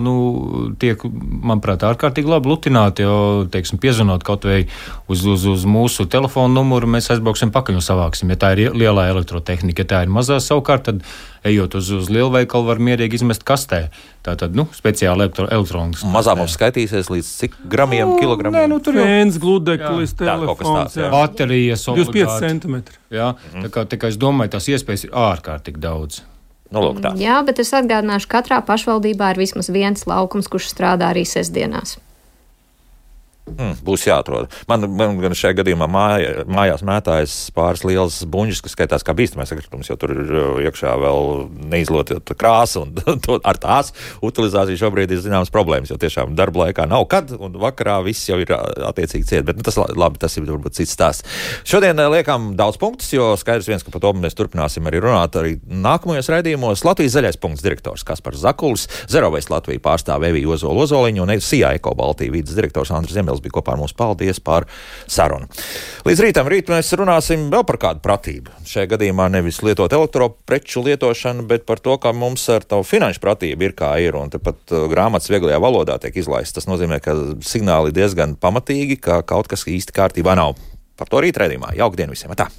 tiek, manuprāt, ārkārtīgi labi lutināti, jo, teiksim, piezvanot kaut vai uz mūsu telefonu numuru, mēs aizbrauksim pakaļ un savāksim. Ja tā ir lielā elektrotehnika, ja tā ir mazā savukārt, tad ejot uz lielveikalu var mierīgi izmest kastē. Tātad, speciāli elektronikas. Mazā mums skaitīsies līdz cik gramiem, kilogramiem? Tur fēns, gludeklis, telefons, baterijas, 25 centimetri. Jā, tā kā es domāju, tās iespējas ir ārkārtīgi daudz. Jā, bet es atgādināšu, katrā pašvaldībā ir vismaz viens laukums, kurš strādā arī sestdienās. Būs jāatrod. Man gan šajā gadījumā mājās mētājas pāris lielas buņģis, kas skaitās kā bīstamais atkritums, jo tur ir iekšā vēl neizlotota krāsa, un ar tās utilizāciju šobrīd ir zināmas problēmas, jo tiešām darba laikā nav kad, un vakarā viss jau ir attiecīgi ciet, bet tas labi, tas ir varbūt cits stāsts. Šodien liekam daudz punktus, jo skaidrs viens, ka par to mēs turpināsim arī runāt arī nākamajos raidījumos. Latvijas zaļais punkts direktors Kaspars Zakulis, Zero Waste Latvija pārstāv Evija Ozoliņa un SIA Eko Baltija vides direktors Andris Zemels bija kopā ar mums. Paldies par sarunu. Līdz rītam mēs runāsim vēl par kādu pratību. Šajā gadījumā nevis lietot elektropreču lietošanu, bet par to, kā mums ar tavu finanšu pratību ir kā ir. Un tepat grāmatas vieglajā valodā tiek izlaists. Tas nozīmē, ka signāli diezgan pamatīgi, ka kaut kas īsti kārtībā nav. Par to rīt raidījumā. Jauka diena visiem. Tā!